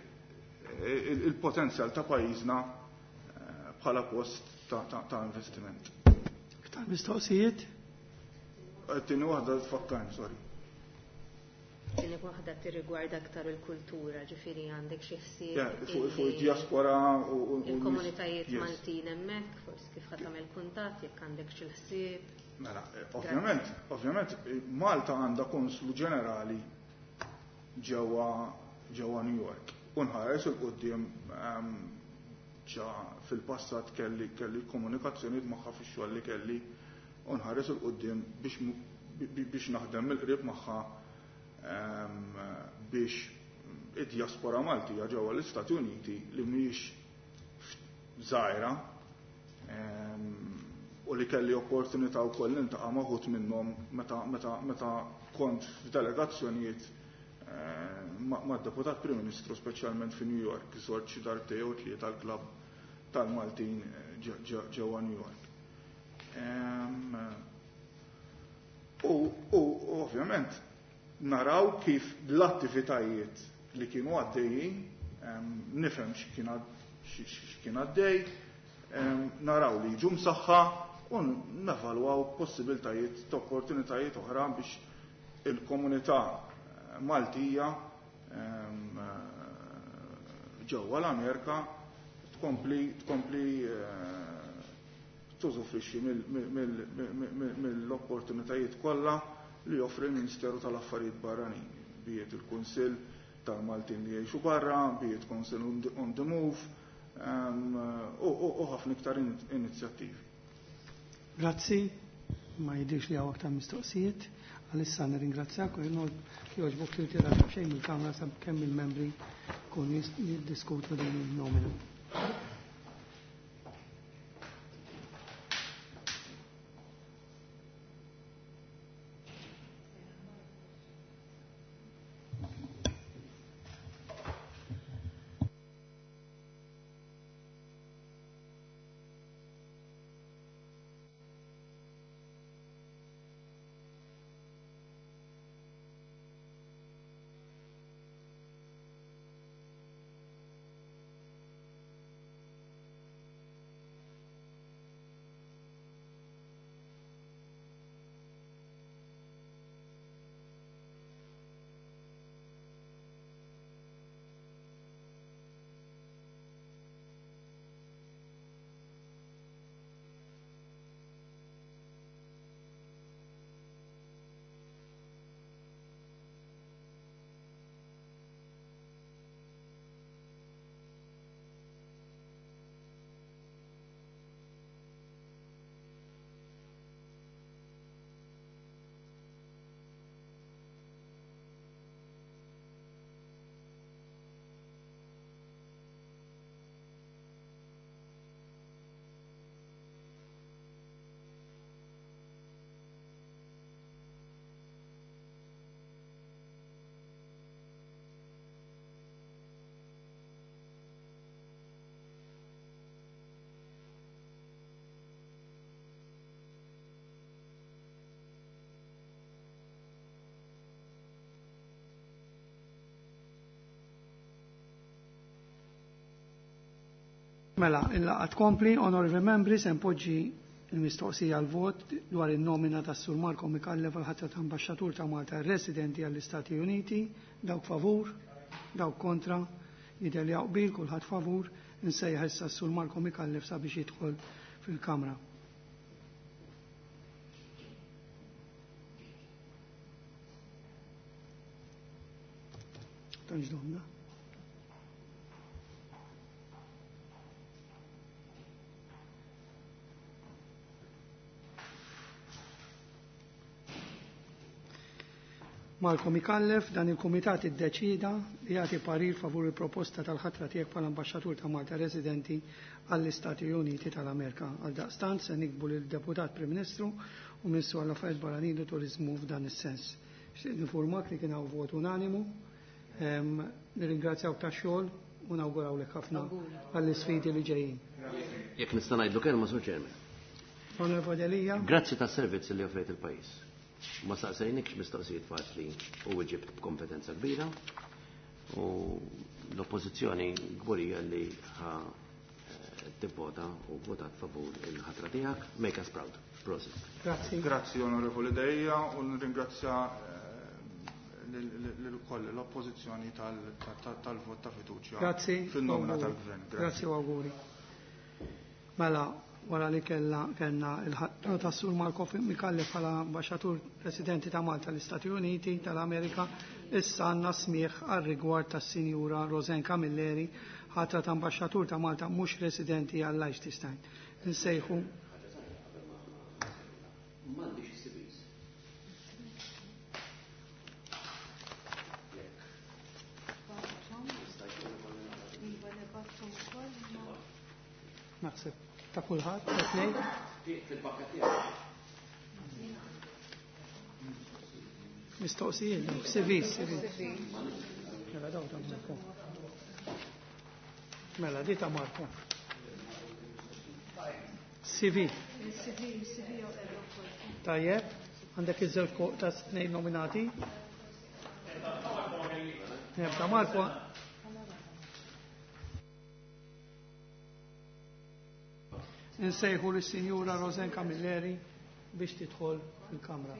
il-potenzjal ta' pajjiżna eh, bħala post ta', ta, ta investiment. Iktar mistoqsijiet? Tieni waħda tfakkarni, sorry. Tieni waħda tirrigwarda aktar il-kultura, ġifieri għandek xi ħsieb. Fuq id-diaspora u il-komunitajiet Maltin hemmhekk, forsi kif ħa tagħmel kuntatt jekk għandek xi ħsieb. Mela, ovvjament, ovvjament Malta għandha konslu ġenerali ġewwa ġewwa New York. U nħares 'il quddiem ehm, ġa fil-passat kelli kelli komunikazzjonijiet magħha fix-xogħol li kelli u nħares 'il quddiem biex biex naħdem mill-qrib magħha ehm, biex id-diaspora Maltija ġewwa l-Istati Uniti li mhijiex żgħira ehm, u li kelli opportunità wkoll niltaqa' ma' wħud minnhom meta meta meta kont f'delegazzjonijiet eh, mad-deputat Prim Ministru speċjalment fi New York, żort xi darbtejn jew tlieta l-klabb tal-Maltin eh, ġewwa New York. Ehm, u, u ovvjament naraw kif l-attivitajiet li kienu għaddejjin, ehm, nifhem x'kien għaddej, ehm, naraw li jiġu msaħħa u nevalwaw possibiltajiet ta' opportunitajiet oħra biex il-komunità eh, Maltija ehm, eh, ġewwa l-Amerika tkompli tkompli eh, tużufrixxi mill-opportunitajiet kollha li joffri l-Ministeru tal-Affarijiet Barranin, biet il-Kunsill tal-Maltin li jgħixu barra, biet Council on the Move, ehm, u ħafna iktar inizjattivi. Grazzi, ma jidirx li hawn aktar mistoqsijiet. Għalissa nirringrazzjak u jogħġbok li tira xejn mill-Kamra sakemm il-membri kun jiddiskutu din il-nomina. Mela, il-laqgħa tkompli, onorevoli membri, se npoġġi il-mistoqsija għal vot dwar in-nomina tas-Sur Marco Micallef għal ħatra ta' ambaxxatur ta' Malta residenti għall-Istati Uniti, dawk favur, dawk kontra, jidher li qbil kulħadd favur, insejjaħ issa s-Sur Marco Micallef sabiex jidħol fil-Kamra. Tantx domna. Marco Micallef, dan il-Kumitat iddeċida li jagħti parir favur il-proposta tal-ħatra tiegħek bħala ambaxxatur ta' Malta residenti għall-Istati Uniti tal-Amerika. Għaldaqstant se nikbu lil deputat Prim Ministru u Ministru għall-Affarijiet Barranin u Turiżmu f'dan is-sens. Xtieq nifurmak li kien hawn vot unanimu. Nirringrazzjawk tax-xogħol u nawgurawlek ħafna għall-isfidi li ġejjin. Jekk nista' ngħidlu kelma, Sur Chairman. Onorevoli Delia. Grazzi tas-servizz li offrejt il-pajjiż. Ma saqsejnikx mistoqsijiet faċli u weġibt b'kompetenza kbira u l-oppożizzjoni kburija li ħa tivvota u votat favur il-ħatra tiegħek. Make us proud. Prosit. Grazzi. Grazzi Onorevoli Delia u nirringrazzja lil-koll l-oppożizzjoni tal-vot ta' fiduċja. Grazzi. Fin-nomina tal-gvern. Grazzi u auguri. Mela, wara li kella kellna il-ħatra ta' Sur Marco Micallef bħala ambaxxatur residenti ta' Malta l-Istati Uniti tal-Amerika, issa għandna smigħ għal rigward tas-Sinjura Roseanne Camilleri, ħatra ta' ambaxxatur ta' Malta mhux residenti għal Liechtenstein. Insejħu M'għandix C Vs. Naħseb ta' kulħadd, ta' tnejn. Fil-pakka tiegħek. Mistoqsijiet, C Vs, C Vs. Mela daw ta' Marco. Mela, di ta' Marco. C V. Tajjeb, għandek iż-żewġ ta' tnejn nominati. Ta' Marco. Insejħu lis-Sinjura Roseanne Camilleri biex tidħol fil-Kamra.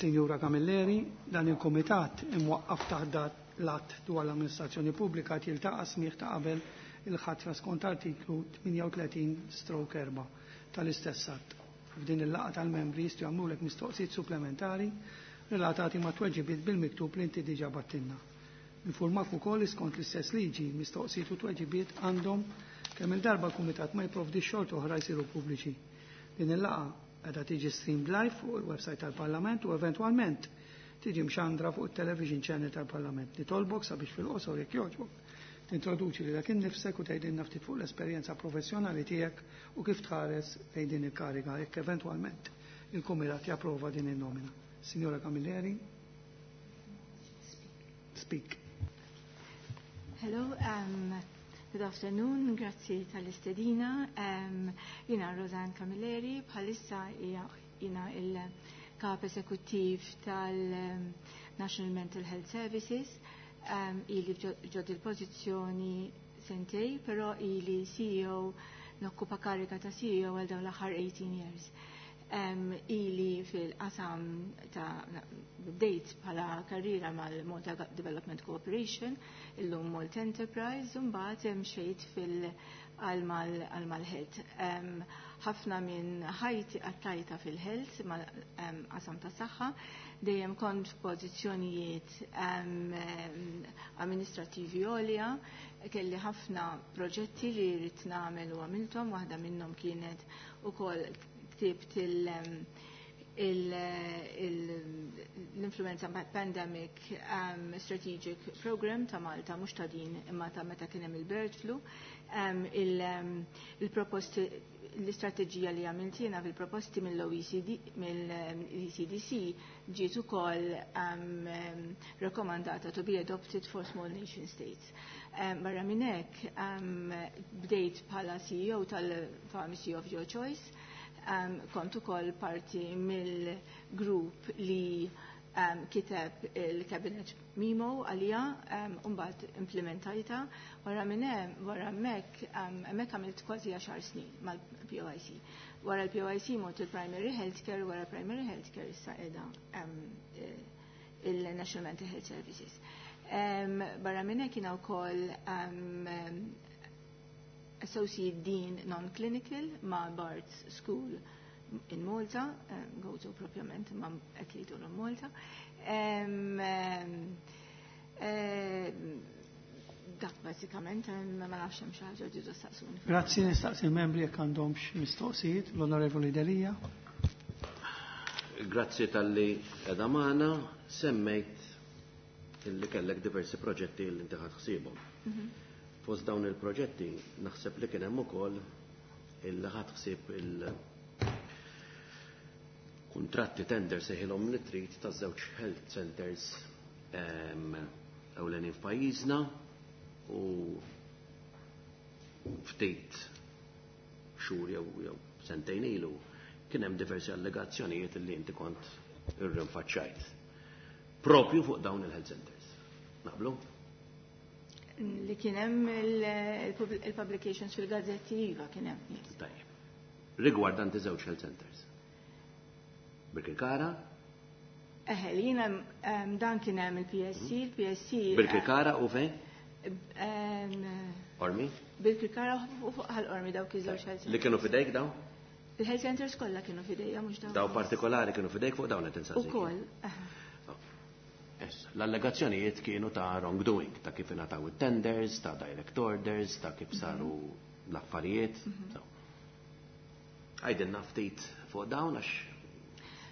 Sinjura Camilleri, dan il-Komitat imwaqqaf taħt l-att dwar l-amministrazzjoni pubblika jiltaqa' smigħ ta' qabel il-ħatra skont artiklu tmienja u tletin stroke erba' tal-istess att. F'din il-laqgħa tal-membri jistgħu jagħmlulek mistoqsijiet supplementari relatati ma' tweġibiet bil-miktub li inti diġà bgħattilna. Infurmak ukoll skont l-istess liġi mistoqsijiet u tweġibiet għandhom kemm il-darba l-Kumitat ma jipprovdi xorta oħra jsiru pubbliċi. Din il-laqgħa qiegħda tiġi streamed live fuq il-website tal-Parlament u eventwalment tiġi mxandra fuq il-television channel tal-Parlament. Nitolbok sabiex fil-qosor, jekk jogħġbok, tintroduċi lilek innifsek u tgħidilna ftit fuq l-esperjenza professjonali tiegħek u kif tħares lejn din il-kariga jekk eventwalment il-Kumitat japprova din il-nomina. Signora Camilleri, speak. Hello, um, good afternoon, grazzi tal-istedina. Um, jina Roseanne Camilleri, bħalissa jina il-kap esekuttiv tal-National Mental Health Services. Um, ili ġod il-pozizjoni sentejn, pero ili C E O, nokkupa karika ta' C E O għal dawn l-aħħar eighteen years. Um, ili fil-qasam ta' bdejt bħala karriera mal-Malta Development Corporation, illum Malta Enterprise, u mbagħad mxejt fil- għal mal-health. Ħafna minn ħajti għaddejtha fil-health, mal-qasam ta' saħħa, dejjem kont f'pożizzjonijiet amministrativi għolja, kelli ħafna proġetti li rrid nagħmel u għamilthom, waħda minnhom kienet ukoll ktibt il- l-Influenza Pandemic um, Strategic Program ta' Malta, mhux ta' din imma ta' meta kien hemm il-bird flu, um, il-proposti l-istrateġija li għamilt jiena fil-proposti mill-O E C D, mill-E C D C ġiet ukoll um, rekomandata to be adopted for small nation states. Um, barra minn hekk um, bdejt bħala C E O tal-Pharmacy of Your Choice, um, kont ukoll parti mill-grupp li um, kiteb il-Cabinet Memo għalija, um, mbagħad implementajta. Wara minn hemm, wara hemmhekk, um, hemmhekk għamilt kważi għaxar snin mal-P O I C. Wara l-P O I C mort il-Primary Healthcare, wara Primary Healthcare issa qiegħda um, il-National Mental Health Services. Um, barra minn hekk jiena wkoll um, Associate Dean Non-Clinical ma' Bart's School in Malta, um, Gozo propjament, ma' qed jgħidu Malta. Um, um, um, dak bażikament, ma nafx hemm xi ħaġa ġidu staqsuni. Grazzi, nistaqsi il-membri jekk għandhomx mistoqsijiet, l-Onorevoli Delia. Grazzi talli qiegħda magħna, semmejt illi kellek diversi proġetti li inti ħadt ħsiebhom. Mhm. Fost dawn il-proġetti naħseb li kien hemm ukoll illi ħadt ħsieb il-kuntratti tender sejħilhom li trid ta' żewġ health centers em, ewlenin f'pajjiżna u ftit xhur jew jew sentejn ilu kien hemm diversi allegazzjonijiet li inti kont irrinfaċċajt. Propju fuq dawn il-health centers. Naqblu? Li kien hemm il-publications fil-gazzetti, iva, kien hemm. Yes. Tajjeb. Rigwardanti żewġ health centers. Birkirkara, Eħe, li jiena um, dan kien hemm il-P S C, il-P S C. Birkirkara u fejn? um, Qormi? Birkirkara u fuq Ħal Qormi, dawk iż-żewġ health Li kienu fidejk dawn? Il-health centers kollha kienu fidejja, mhux dawn. Daw partikolari kienu fidejk, fuq dawn qed insaqsik. Ukoll. Eħe. Issa, l-allegazzjonijiet kienu ta' wrongdoing, ta' kif ingħataw it-tenders, ta' direct orders, ta' kif saru l-affarijiet. So. Għidilna ftit fuq dawn għax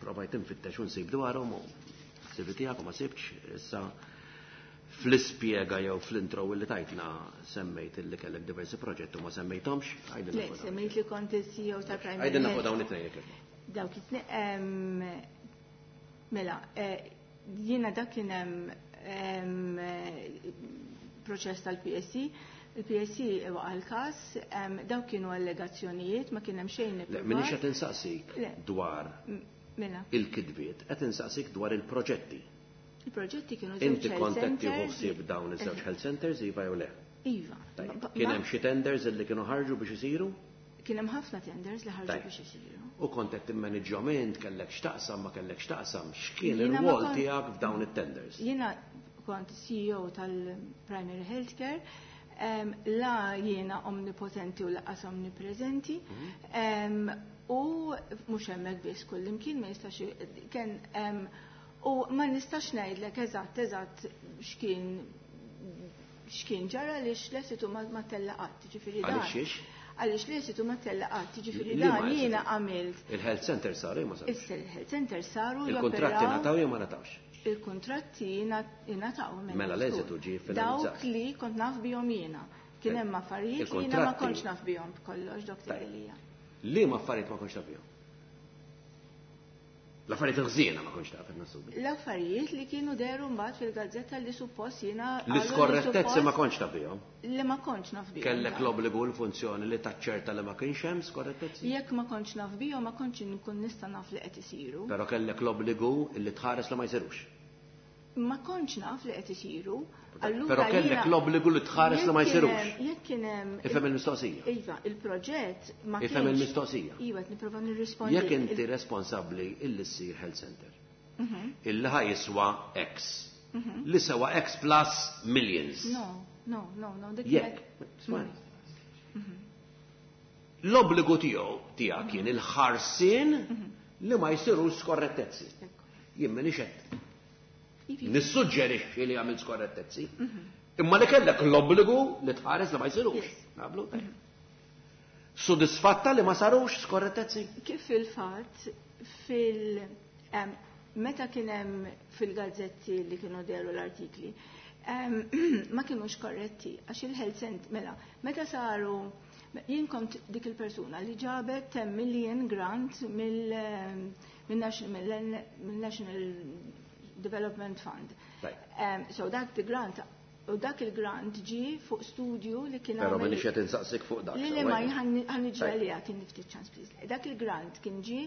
provajt infittex u nsib dwarhom u s-C V tiegħek u ma sibx. Issa fl-ispjega jew fl-intro li tajtna semmejt illi kellek diversi proġetti u ma semmejthomx. Għidilna Le, fuq dawn. semmejt li kont il-C E O ta' Primary Għidilna fuq Health. dawn it-tnejn jekk. Dawk it-tnejn, em, mela, eh, jiena dak kien hemm em, eh, proċess tal-P S C, il-P S C waqa' l-każ, em, dawk kienu allegazzjonijiet, ma kien hemm xejn Le, ippruvat. Minix qed insaqsik Le. dwar M- Mela, il-kidbiet, qed insaqsik dwar il-proġetti. Il-proġetti kienu żewġ Inti health kont qed tieħu centers. ħsieb dawn iż-żewġ health centers, iva jew le? Iva. Tajjeb. Ba- Kien ma- hemm xi tenders illi kienu ħarġu biex isiru? Kien hemm ħafna tenders li ħarġu Tajjeb. biex isiru. U kont qed timmanġjahom int, kellek x'taqsam, ma kellek x'taqsam, x'kien Jiena ma ir-rwol kon- tiegħek f'dawn it-tenders? Jiena kont C E O tal-Primary Healthcare, um, la jiena omnipotenti u lanqas omnipresenti, um, u mhux hemmhekk biss, kullimkien ma jistax kien um, u ma nistax ngħidlek eżatt eżatt x'kien x'kien ġara għaliex l-esitu ma ma tella qatt, ġifieri dan. Għaliex xiex? Għaliex l-esitu ma tella qatt, ġifieri Li ma dan esitu? jiena għamilt. Il-health center saru jew ma sarux? Issa il-health center saru Il-kontratti joperaw. ngħataw jew ma ngħatawx? Il-kontratti ingħataw. Mela l-eżitu ġie finalizzat. Dawk li kont naf bihom jiena. Kien hemm affarijiet li jiena ma Il-kontratti- kontx naf bihom b'kollox, Doktor Tajjeb. Elija. Li ma affarijiet ma kontx taf bihom? L-affarijiet ħżiena ma kontx taf, qed nassumi. L-affarijiet li kienu deru mbagħad fil-gazzetta li suppost jiena qalu li L-iskorrettezzi ma suppost- kontx taf bihom. Li ma kontx naf bihom. Kellek l-obbligu u l-funzjoni li taċċerta li ma kienx hemm skorrettezzi? Jekk ma kontx naf bihom, ma kontx nkun nista' naf li qed isiru. Però kellek l-obbligu li tħares li ma jsirux. Ma kontx naf li qed isiru. Allura Però kellek jiena- l-obbligu li tħares li ma Jekk kien jsirux. hemm- Jekk kien hemm Ifhem il-mistoqsija. Iva, il-proġett ma Ifhem kienx- il-mistoqsija. Iva, qed nipprova nirrispondi. Jekk inti responsabbli illi ssir health center, Mhm. illi ħa jiswa X, li sewa X plus millions. No, no, no, no. Dik Jekk, kienet- smajni. L-obbligu tiegħu tiegħek kien il-ħarsien li ma jsirux skorrettezzi. Ekku. Jien m'iniex qed Iva. nissuġġerixxi li għamil skorrettezzi. Imma li kellek l-obbligu li tħares li ma jsirux. Yes. Naqblu? Sodisfatta li ma sarux skorrettezzi? Kif fil-fatt fil em, meta kien hemm fil-gazzetti li kienu dehru l-artikli, em, ma kienux korretti għax il-health center, mela, meta saru, jien kont dik il-persuna li ġabet ten million grant mill mill-National mill-National Development Fund. Right. Um, so dak the grant, u dak il-grant ġi fuq studju li kien Pero għamel- minix qed insaqsik fuq dak. Li li sewwa. ma ħa niġi Tajb. għalija kien ftit ċans, please. Dak il-grant kien ġi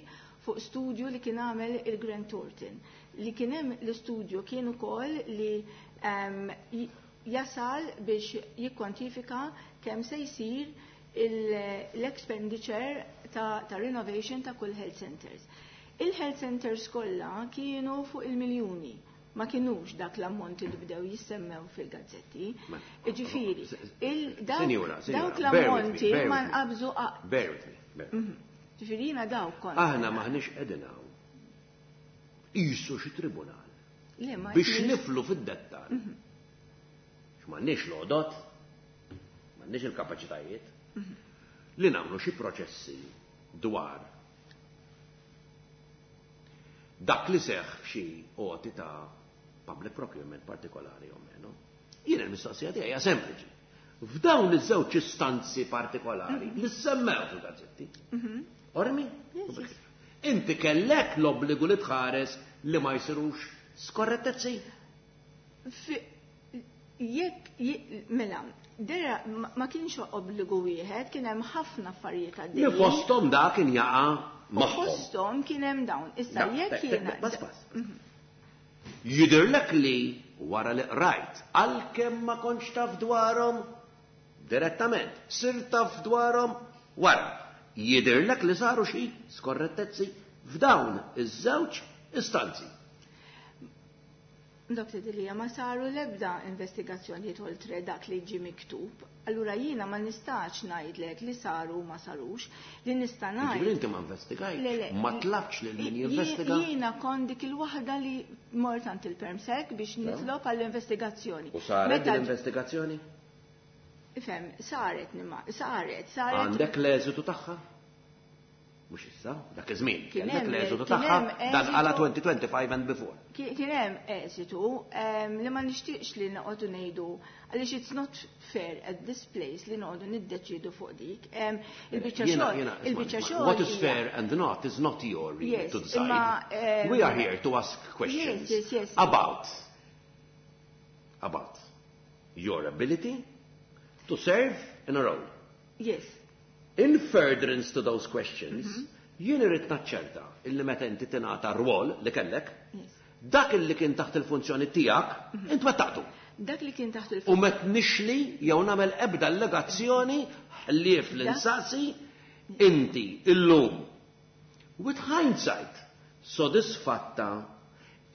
fuq studju li kien għamel il-Grant Thornton. Li kien hemm l-istudju kien ukoll li um, jasal biex jikkwantifika kemm se jsir il- l-expenditure ta', ta' renovation ta' kull health centers. Il-health centers kollha kienu fuq il-miljuni, ma kienux dak l-ammonti li bdew jissemmew fil-gazzetti. Ġifieri, il- dawk Sinjura, sinjura, dawk bear with me, l-ammonti bear ma with me. nqabżu qa- Bear with me. Bear with me. Ġifieri jiena dawk kont. Aħna maħniex qegħdin hawn. Qisu xi tribunal. Le, ma Biex jkunx- nidħlu fid-dettal. X'm'għandniex l-għodot, m'għandniex il-kapaċitajiet li nagħmlu xi proċessi dwar dak li seħ f'xi għoti ta' public procurement partikolari o meno. Jien il-mistoqsija tiegħi hija sempliċi. F'dawn iż-żewġ istanzi partikolari li semmew fil-gazzetti. Ormi? Inti kellek l-obbligu li tħares li ma jsirux skorrettezzi. Fi- Jekk, je- mela, dera ma ma kienx obbligu wieħed, kien hemm ħafna affarijiet Li għaddejjin. fosthom da kien jaqa' U magħhom. fosthom kien hemm dawn. Issa Da, jekk te- te- jiena. Bas, bas. Jidirlek li wara li qrajt, għalkemm ma kontx taf dwarhom direttament, sir taf dwarhom wara. Jidirlek li saru xi skorrettezzi f'dawn iż-żewġ istanzi. Doktor Delia, ma saru l-ebda investigazzjonijiet oltre dak li ġi miktub. Allura jiena ma nistax ngħidlek li saru u ma sarux, li nista' Ġifieri ngħid. inti ma investigajt, Le, le. ma tlabx lil min Jie- jinvestiga. Jiena kont dik il-waħda li mort għand il-permsec biex nitlob għall-investigazzjoni. U saret Meta- din l-investigazzjoni? Ifhem, saret nima, saret, saret. Għandek l-eżitu tagħha? Mhux issa, dak iż-żmien. Kien Kellek hemm- l-eżitu kien tagħha hemm dan għala eżitu- twenty twenty-five and before. Kien kien hemm eżitu em, li ma nixtieqx li noqogħdu ngħidu għaliex it's not fair at this place li noqogħdu niddeċidu fuq dik. Em, Il-biċċa Jiena- xogħol, jiena, il-biċċa isma' xogħol. What is hija- fair and not is not your remit Yes, to decide. imma, um, We are here to ask questions Yes, yes, yes. about about your ability to serve in a role. Yes. In furtherance to those questions, Mm-hmm. jien irrid naċċerta illi meta inti tingħata rwol li kellek, Yes. dak illi kien taħt il-funzjoni tiegħek, Mm-hmm. int wettaqtu. Dak li kien taħt il U met nixli jew nagħmel ebda allegazzjoni ħlief l-insaqsi inti illum. With hindsight, sodisfatta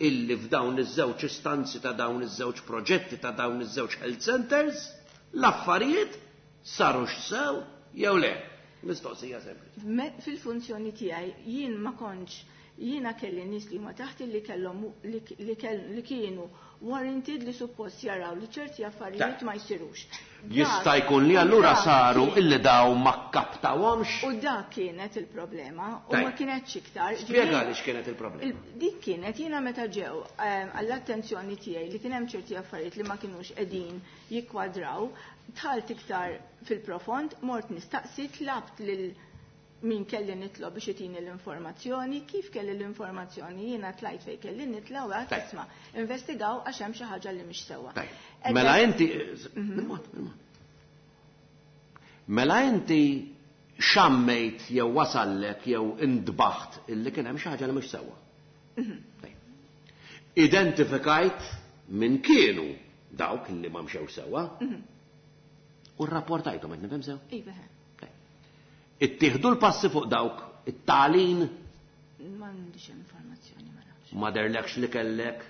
illi f'dawn iż-żewġ istanzi ta' dawn iż-żewġ proġetti ta' dawn iż-żewġ health centers, l-affarijiet sarux sew jew le. Mistoqsija sempliċi. Me- Fil-funzjoni tiegħi jien ma kontx, jiena kelli nies li huma taħti li kellhom li li kell- li kienu warranted li suppost jaraw li ċerti affarijiet ma jsirux. Jista' jkun li allura Dak saru kien- illi daw ma kaptawhomx. U dak kienet il-problema u Tajb. ma kienetx iktar. Spjega Ġifieri- li x'kienet il-problema. Il- Dik kienet jiena meta ġew ehm, għall-attenzjoni tiegħi li kien hemm ċerti affarijiet li ma kinux qegħdin jikkwadraw, dħalt iktar fil-profond, mort nistaqsi, tlabt lil min kelli nitlob biex itini l-informazzjoni, kif kelli l-informazzjoni jiena tlajt fejn kelli nitla u għedt, Tajb. isma', investigaw għax hemm xi ħaġa li mhix sewwa. Tajb. Edda- Mela inti, bil-mod, bil-mod. Mela inti xammejt jew wasallek jew indbaħt illi kien hemm xi ħaġa li mhux sewwa. Tajb. Identifikajt min kienu dawk li ma mxew sewwa u rrapportajthom, qed nifhem sew? Iva, Tajb. Ittieħdu l-passi fuq dawk it-talin? M'għandix informazzjoni, ma nafx. Ma derlekx li kellek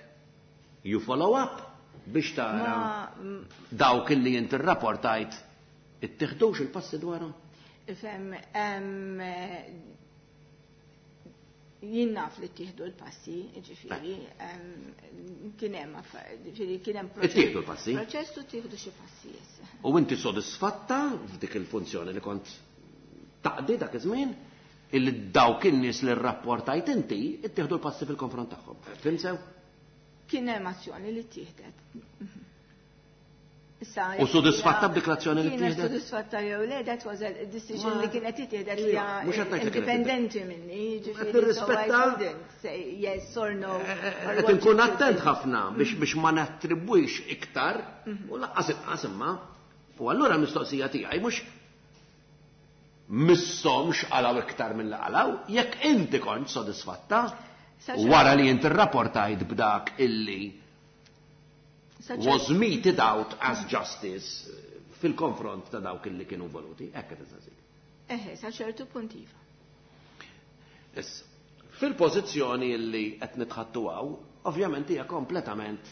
you follow up biex tara Ma mm, dawk illi inti rrapportajt ittieħdux il-passi dwarhom? Ifhem, em, jien naf li ttieħdu l-passi, ġifieri, em, kien hemm affa- ġifieri kien hemm proċess- Ittieħdu l-passi? Proċess u ttieħdu xi passi, yes. U inti sodisfatta f'dik il-funzjoni li kont taqdi dak iż-żmien illi dawk in-nies li rrapportajt inti ittieħdu l-passi fil-konfront tagħhom. Fhimt sew? Kien hemm azzjoni li ttieħdet. Issa, U sodisfatta b'dik l-azzjoni li Kienet ttieħdet? sodisfatta jew le, that was a decision Ma- li kienet ittieħdet li Ija, mhux qed ngħid li kienet indipendenti minni, ġifieri, nirrispetta- so I couldn't say yes or no. or Qed what inkun it should attent be. ħafna biex biex ma nattribwix iktar u lanqas inqas imma. U allura l-mistoqsija tiegħi mhux misshomx qalgħu iktar mill qalgħu, jekk inti kont sodisfatta Sa ċertu- wara li inti rrapportajt b'dak illi Sa ċertu- was meted out as justice fil-konfront ta' dawk illi kienu involuti, hekk qed insaqsik. Eħe, sa ċertu punt iva. Issa, fil-pożizzjoni illi qed nitħaddtu hawn, ovvjament hija kompletament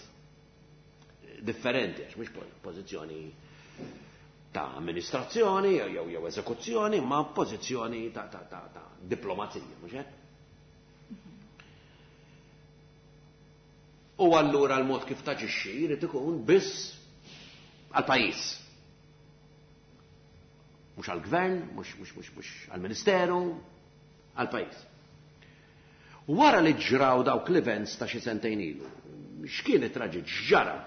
differenti, għax mhux pożizzjoni ta' amministrazzjoni jew jew eżekuzzjoni, ma pożizzjoni ta' ta' ta' ta' diplomazija, mhux hekk? U allura l-mod kif taġixxi jrid ikun biss għall-pajjiż. Mhux għall-gvern, mhux mhux mhux mhux għall-ministeru, għall-pajjiż. Wara li ġraw dawk l-events ta' xi sentejn ilu, x'kien it-traġit x'ġara?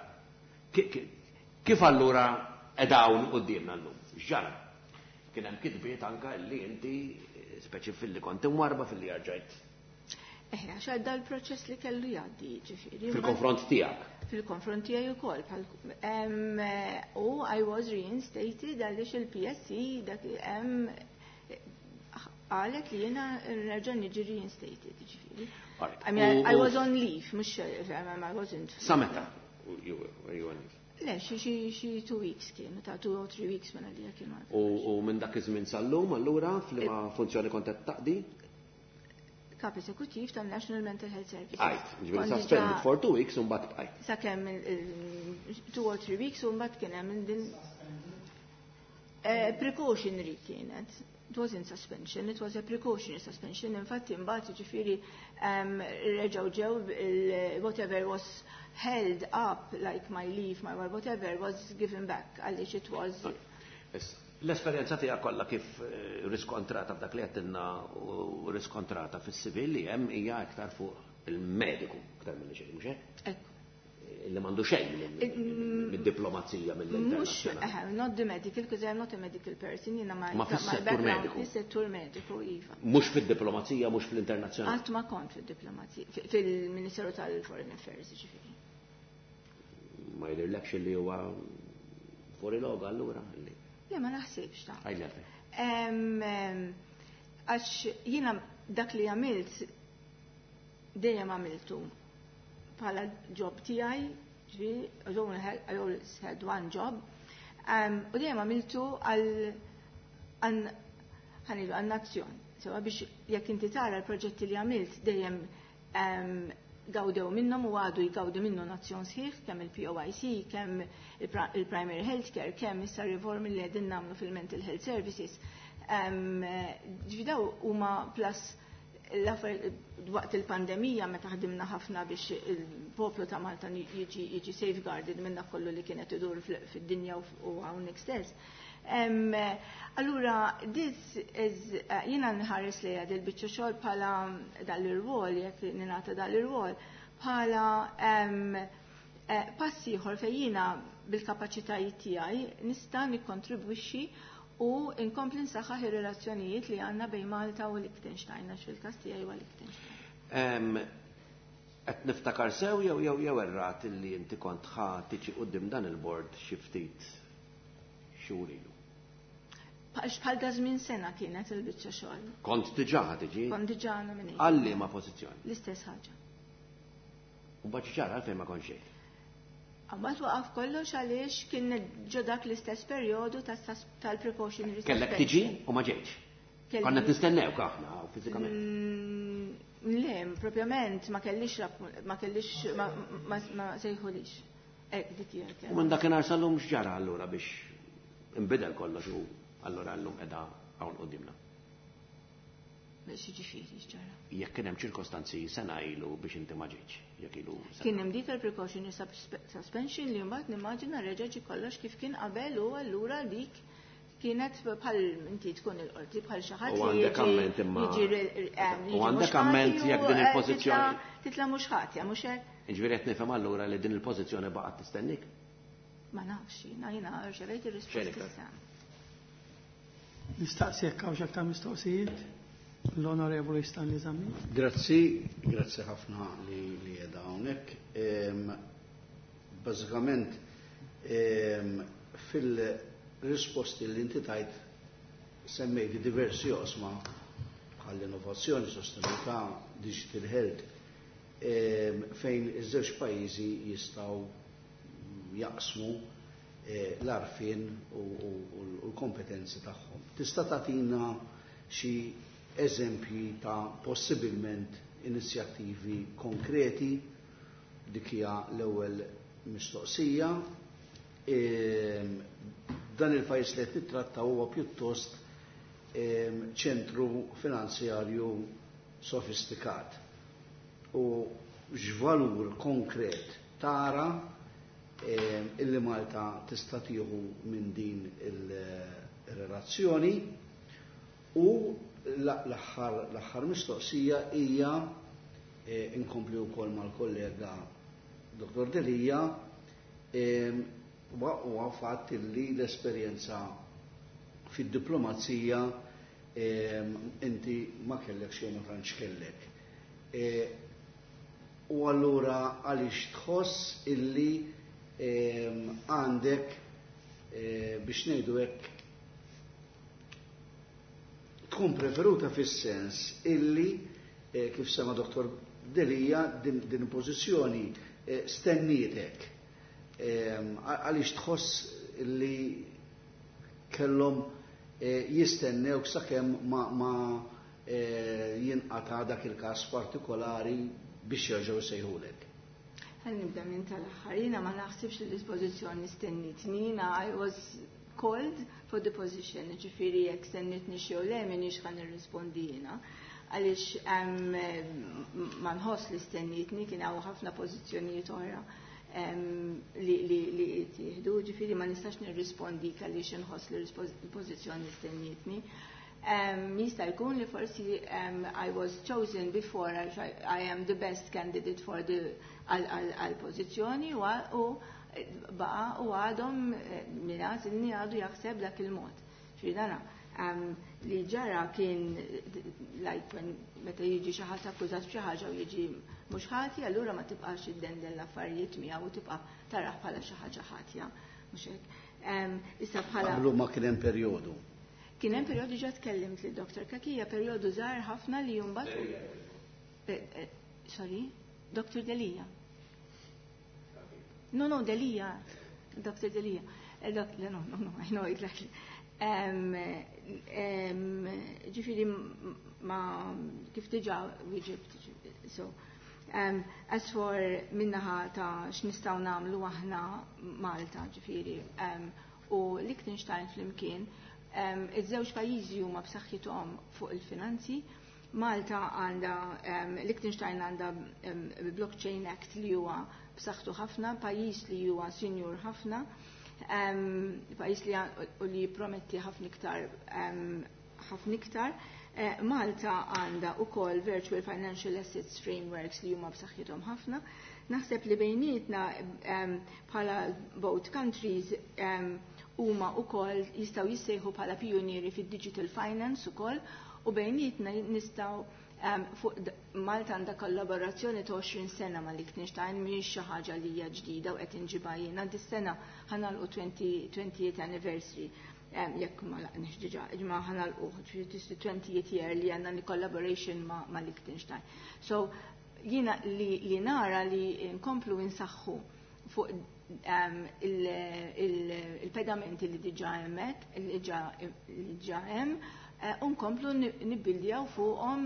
Kif allura qed quddiemna llum? X'ġara? Kien hemm kitbiet anka li inti speċi fil-li kont imwarba fil-li rġajt. Eħe, għax għadda l-proċess li kellu jgħaddi, ġifieri. Fil-konfront tiegħek? Fil-konfront tiegħi wkoll. U I was reinstated għaliex il-P S C dak qalet li jiena nerġa' niġi reinstated, ġifieri. I mean, I was on leave, mhux I wasn't. Sa meta? You were on leave? Le, xi xi two weeks kienu, ta' two or three weeks minn għalija kienu. U minn dak iż-żmien sal-lum allura f'liema funzjoni kont qed taqdi? Kap eżekuttiv tal-National Mental Health Services. Għajt, ġifieri suspended for two weeks u mbagħad bqajt. Sakemm two or three weeks u mbagħad kien hemm din precautionary kienet. It wasn't suspension, it was a precautionary suspension. Infatti mbagħad ġifieri reġgħu ġew whatever was held up, like my leave, my whatever, was given back għaliex it was. L-esperjenza tiegħek kollha kif riskontrata f'dak li għedtilna u riskontrata fis-civil li hemm hija iktar fuq il-mediku iktar milli xejn, mhux hekk? Ekku. Illi m'għandu xejn mid-diplomazija mill-internazzjonali. Mhux, not the medical, because I'm not a medical person, jiena ma Ma fis-settur mediku. Fis-settur mediku, iva. Mhux fid-diplomazija, mhux fl-internazzjonali. Qatt ma kont fid-diplomazija, fil-Ministeru tal-Foreign Affairs, ġifieri. Ma jidhirlekx li huwa fuori luogo allura? Le, ma naħsibx ta' Għidli għalfejn. Għax jiena dak li għamilt dejjem għamiltu bħala job tiegħi, ġifieri, I always had one job, u dejjem għamiltu għal għal nazzjon. Sewa biex jekk inti tara l-proġetti li għamilt dejjem gawdew minnhom u għadu jgawdu minnu nazzjon sħiħ, kemm il-P O I C, kemm il-Primary Healthcare, kemm issa riformi li qegħdin nagħmlu fil-Mental Health Services. Ġifieri daw huma plus waqt il-pandemija meta ħdimna ħafna biex il-poplu ta' Malta jiġi jiġi safeguarded minn dak kollu li kienet idur fid-dinja u hawnhekk stess. Allura, this is, jiena nħares li dil biċċa xogħol bħala dal-irwol, jekk ningħata dal-irwol, bħala passi ieħor fejn jiena bil-kapaċitajiet tiegħi nista' nikkontribwixxi u nkompli nsaħħaħ ir-relazzjonijiet li għandna bejn Malta u Liechtenstein, għax fil-każ tiegħi huwa Liechtenstein. Qed niftakar sew jew jew jew errat illi inti kont ħa tiġi quddiem dan il-bord xi ftit xhur ilu. Bħal da żmien sena kienet il-biċċa xogħol. Kont diġà ħa tiġi? Kont diġà nominated. Għal liema pożizzjoni? L-istess ħaġa. U mbagħad ġara għalfejn ma kontx ġejt? Mbagħad waqaf kollox għaliex kien ġo dak l-istess perjodu tal-precautionary. Kellek tiġi u ma ġejtx. Konna nistennewk aħna fiżikament. Le, propjament ma kellix ma kellix ma sejħulix. Ek, dik hija. U minn dakinhar sal-lum x'ġara allura biex inbidel kollox u allura llum qiegħda hawn quddiemna? Biex jiġifieri x'ġara? Jekk kien hemm ċirkostanzi sena ilu biex inti ma ġejtx, jekk ilu. Kien hemm dik il-precautionary suspension li mbagħad nimmaġina reġa' ġie kollox kif kien qabel u allura dik Kienet bħal inti tkun il-qorti bħal xi ħadd U għandek amment imma. U għandek amment jekk din il-pożizzjoni. Titla' mhux ħatja, mhux hekk. Jiġifieri qed nifhem allura li din il-pożizzjoni baqgħet tistennik? Ma nafx, jiena jiena rċevejt ir-risposta issa. Nistaqsi jekk hawnx aktar mistoqsijiet? L-Onorevoli Stanley Zammit. Grazzi, grazzi ħafna li li qiegħda hawnhekk. Bażikament fil-risposti li inti tajt semmejti diversi oqsma bħall-innovazzjoni, sostenibilità, digital health, fejn iż-żewġ pajjiżi jistgħu jaqsmu l-għarfien u l-kompetenzi tagħhom. Tista' tagħtina xi eżempji ta' possibilment inizjattivi konkreti? Dik hija l-ewwel mistoqsija. Dan il-pajjiż li qed nittratta huwa pjuttost ċentru finanzjarju sofistikat. U x'valur konkret tara illi Malta tista' tieħu minn din il-relazzjoni? U l-aħħar mistoqsija hija, inkompli wkoll mal-kollega Dottor Delia, huwa fatt illi l-esperjenza fid-diplomazija inti ma kellek jew ma tantx kellek. U allura għaliex tħoss illi għandek, biex ngħidu hekk, tkun preferuta fis-sens illi, kif sema Dottor Delia, din, din pożizzjoni stennietek. Għaliex tħoss illi kellhom jistennewk sakemm ma, ma jinqata' dak il-każ partikolari biex jerġgħu jsejħulek? Ħa nibda minn tal-aħħar. Jiena ma naħsibx li l-pożizzjoni stennitni. Jiena I was called for the position, ġifieri jekk stennitni xi jew le m'iniex ħa nirrispondi jiena. Għaliex ma nħoss li stennitni, kien hawn ħafna pożizzjonijiet oħra li li li tieħdu, ġifieri ma nistax nirrispondi għaliex inħoss li l-pożizzjoni stennitni. Jista' jkun li forsi I was chosen before, I am the best candidate for the għal-pożizzjoni u baqa u għadhom min għażilni għadu jaħseb dak il-mod. Ġifieri dana li ġara kien like when meta jiġi xi ħadd akkużat b'xi ħaġa u jiġi mhux ħati, allura ma tibqax iddendel l-affarijiet miegħu u tibqa' taraħ bħala xi ħaġa ħatja. Mhux hekk. Issa bħala Qablu ma kien hemm perjodu. Kien hemm perjodu, ġa tkellimt li Dottor Cachia, perjodu żgħar ħafna li mbagħad. Sorry, Dottor Delia. No, no, Delia. Dottor Delia. No, no, no, I know exactly. Ġifieri ma kif diġà wieġibt. So, um, as for min-naħa ta' x'nistgħu nagħmlu aħna Malta, ġifieri, um, u Liechtenstein flimkien, um, iż-żewġ pajjiżi huma b'saħħithom fuq il-finanzi. Malta għandha, um, Liechtenstein għandha um, Blockchain Act li huwa b'saħħtu ħafna, pajjiż li huwa sinjur ħafna, um, pajjiż li, li prometti ħafna iktar, ħafna iktar. Eh, Malta għandha ukoll Virtual Financial Assets Frameworks li huma b'saħħithom ħafna. Naħseb li bejnietna um, bħala both countries um, huma ukoll jistgħu jissejħu bħala pionieri fid-digital finance ukoll, u bejnietna nistgħu um, fuq Malta għandha kollaborazzjoni ta' għoxrin sena ma' Liechtenstein, mhijiex xi ħaġa li hija ġdida u qed inġibha jiena. Dis-sena ħa nagħlqu twentieth anniversary, um, jekk ma laqniex diġà, imma ħa nagħlqu twentieth year li għandna li collaboration ma', ma' Liechtenstein. So jiena li, li nara li nkomplu insaħħu fuq um, il-pedamenti il, il li diġà hemmhekk, li diġà hemm, u nkomplu nibbildjaw fuqhom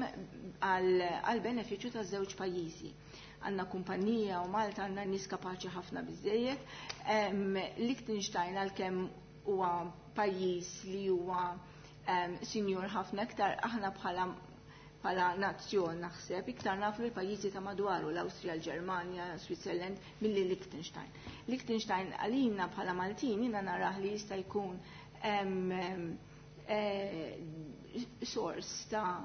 għal benefiċċju taż-żewġ pajjiżi. Għandna kumpanija u Malta għandna nies kapaċi ħafna biżejjed. Liechtenstein għalkemm huwa pajjiż li huwa sinjur ħafna iktar, aħna bħala bħala nazzjon naħseb iktar nafu l-pajjiżi ta' madwaru, l-Awstrija, l-Ġermanja, Switzerland, milli Liechtenstein. Liechtenstein għalina bħala Maltin jiena narah li jista' jkun hemm eh, source ta'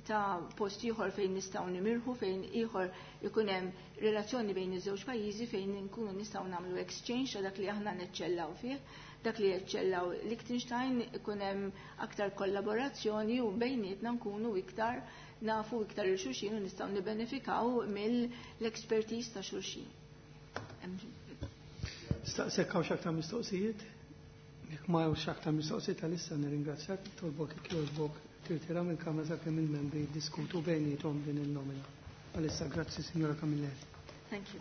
ta' post ieħor fejn nistgħu nimirħu, fejn ieħor ikun hemm relazzjoni bejn iż-żewġ pajjiżi fejn nkunu nistgħu nagħmlu exchange ta' dak li aħna neċċellaw fih, dak li jeċċellaw Liechtenstein, ikun hemm aktar kollaborazzjoni u bejnietna nkunu iktar nafu iktar il xulxin u nistgħu nibbenefikaw mill-expertise ta' xulxin. Staqsek hawn aktar mistoqsijiet? Jekk ma hawnx aktar mistoqsijiet għalissa nirringrazzjak, tolbok jogħġbok tirtira mill-Kamra sakemm il-membri jiddiskutu bejniethom din il-nomina. Għalissa grazzi, Signora Camilleri. Thank you.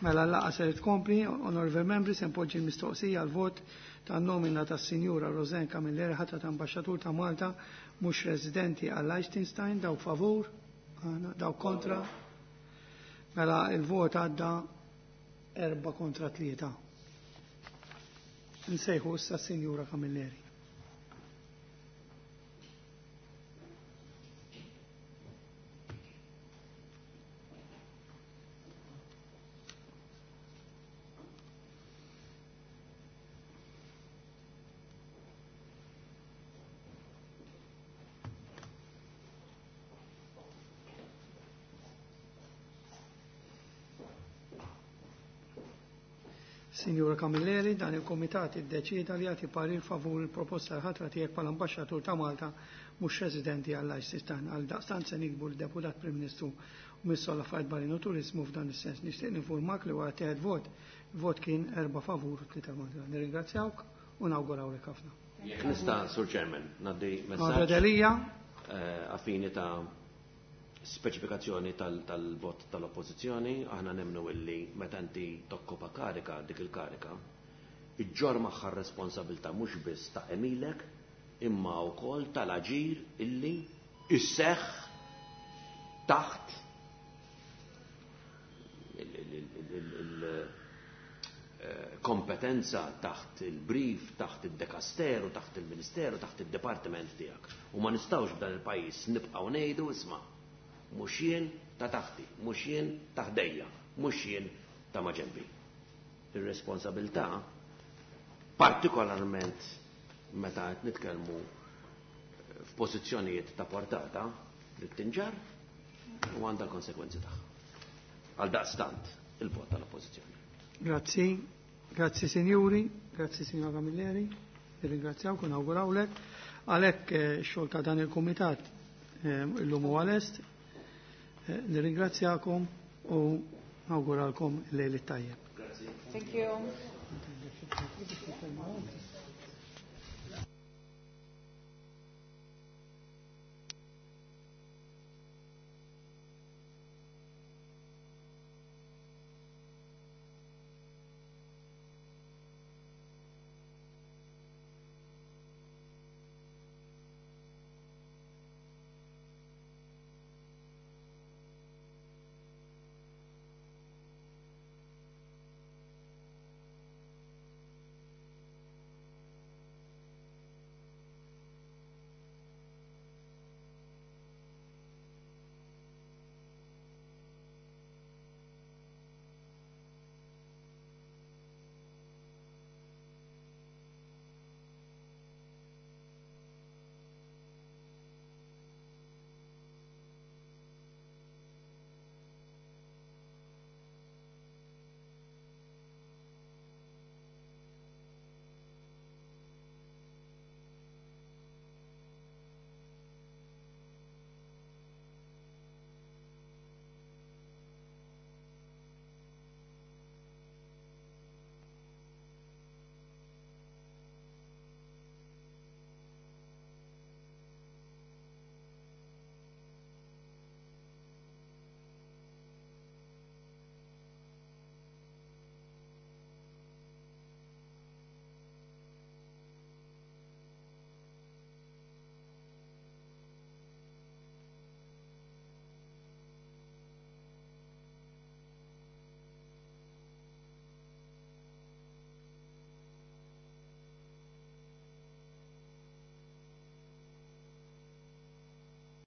Mela l-laqgħa se tkompli, onorevoli membri, se npoġġi l-mistoqsija għal vot tan-nomina tas-Sinjura Rosanne Camilleri ħatra ta' Ambaxxatur ta' Malta mhux residenti għal Liechtenstein, dawk favur, dawk kontra. Mela il-vot għadda erba' kontra tlieta. Nsejħu issa s-Sinjura Camilleri. Signora Camilleri, dan il-Komitat iddeċieda li jagħti parir favur il-proposta l-ħatra tiegħek bħala Ambaxxatur ta' Malta mhux residenti għal Liechtenstein. Għal daqstant se nikbu l-Deputat Prim Ministru u Ministru għall-Affarijiet Barranin u Turiżmu f'dan is-sens. Nixtieq ninformak li wara tieħed vot, il-vot kien erba' favur u tlieta kontra. Nirringrazzjawk u nawgurawlek ħafna. Jekk nista', Sur Chairman, ngħaddi messaġġ. Delija. Affini ta' speċifikazzjoni tal-vot tal-oppożizzjoni, aħna nemmnu illi meta inti tokkopa karika, dik il-karika, iġġor magħha r-responsabilità mhux biss ta' emilek, imma wkoll tal-aġir illi isseħħ taħt il-kompetenza, taħt il-brief, taħt il-dekasteru, taħt il-ministeru, taħt il-departiment tiegħek. U ma nistgħux f'dan il-pajjiż nibqgħu ngħidu isma' mhux jien ta' taħti, mhux jien ta' ħdejja, mhux jien ta' maġenbi. Ir-responsabilità, partikolarment meta qed nitkellmu f'pożizzjonijiet ta' portata, li tinġar u għandha l-konsekwenzi tagħha. Għal daqstant il-vot tal-oppożizzjoni. Grazzi, grazzi sinjuri, grazzi signora Camilleri, nirringrazzjawk u nawgurawlek. Għalhekk x-xogħol ta' dan il-kumitat illum huwa lest. Nirringrazzjakom u nawguralkom lejl it-tajjeb. Thank you.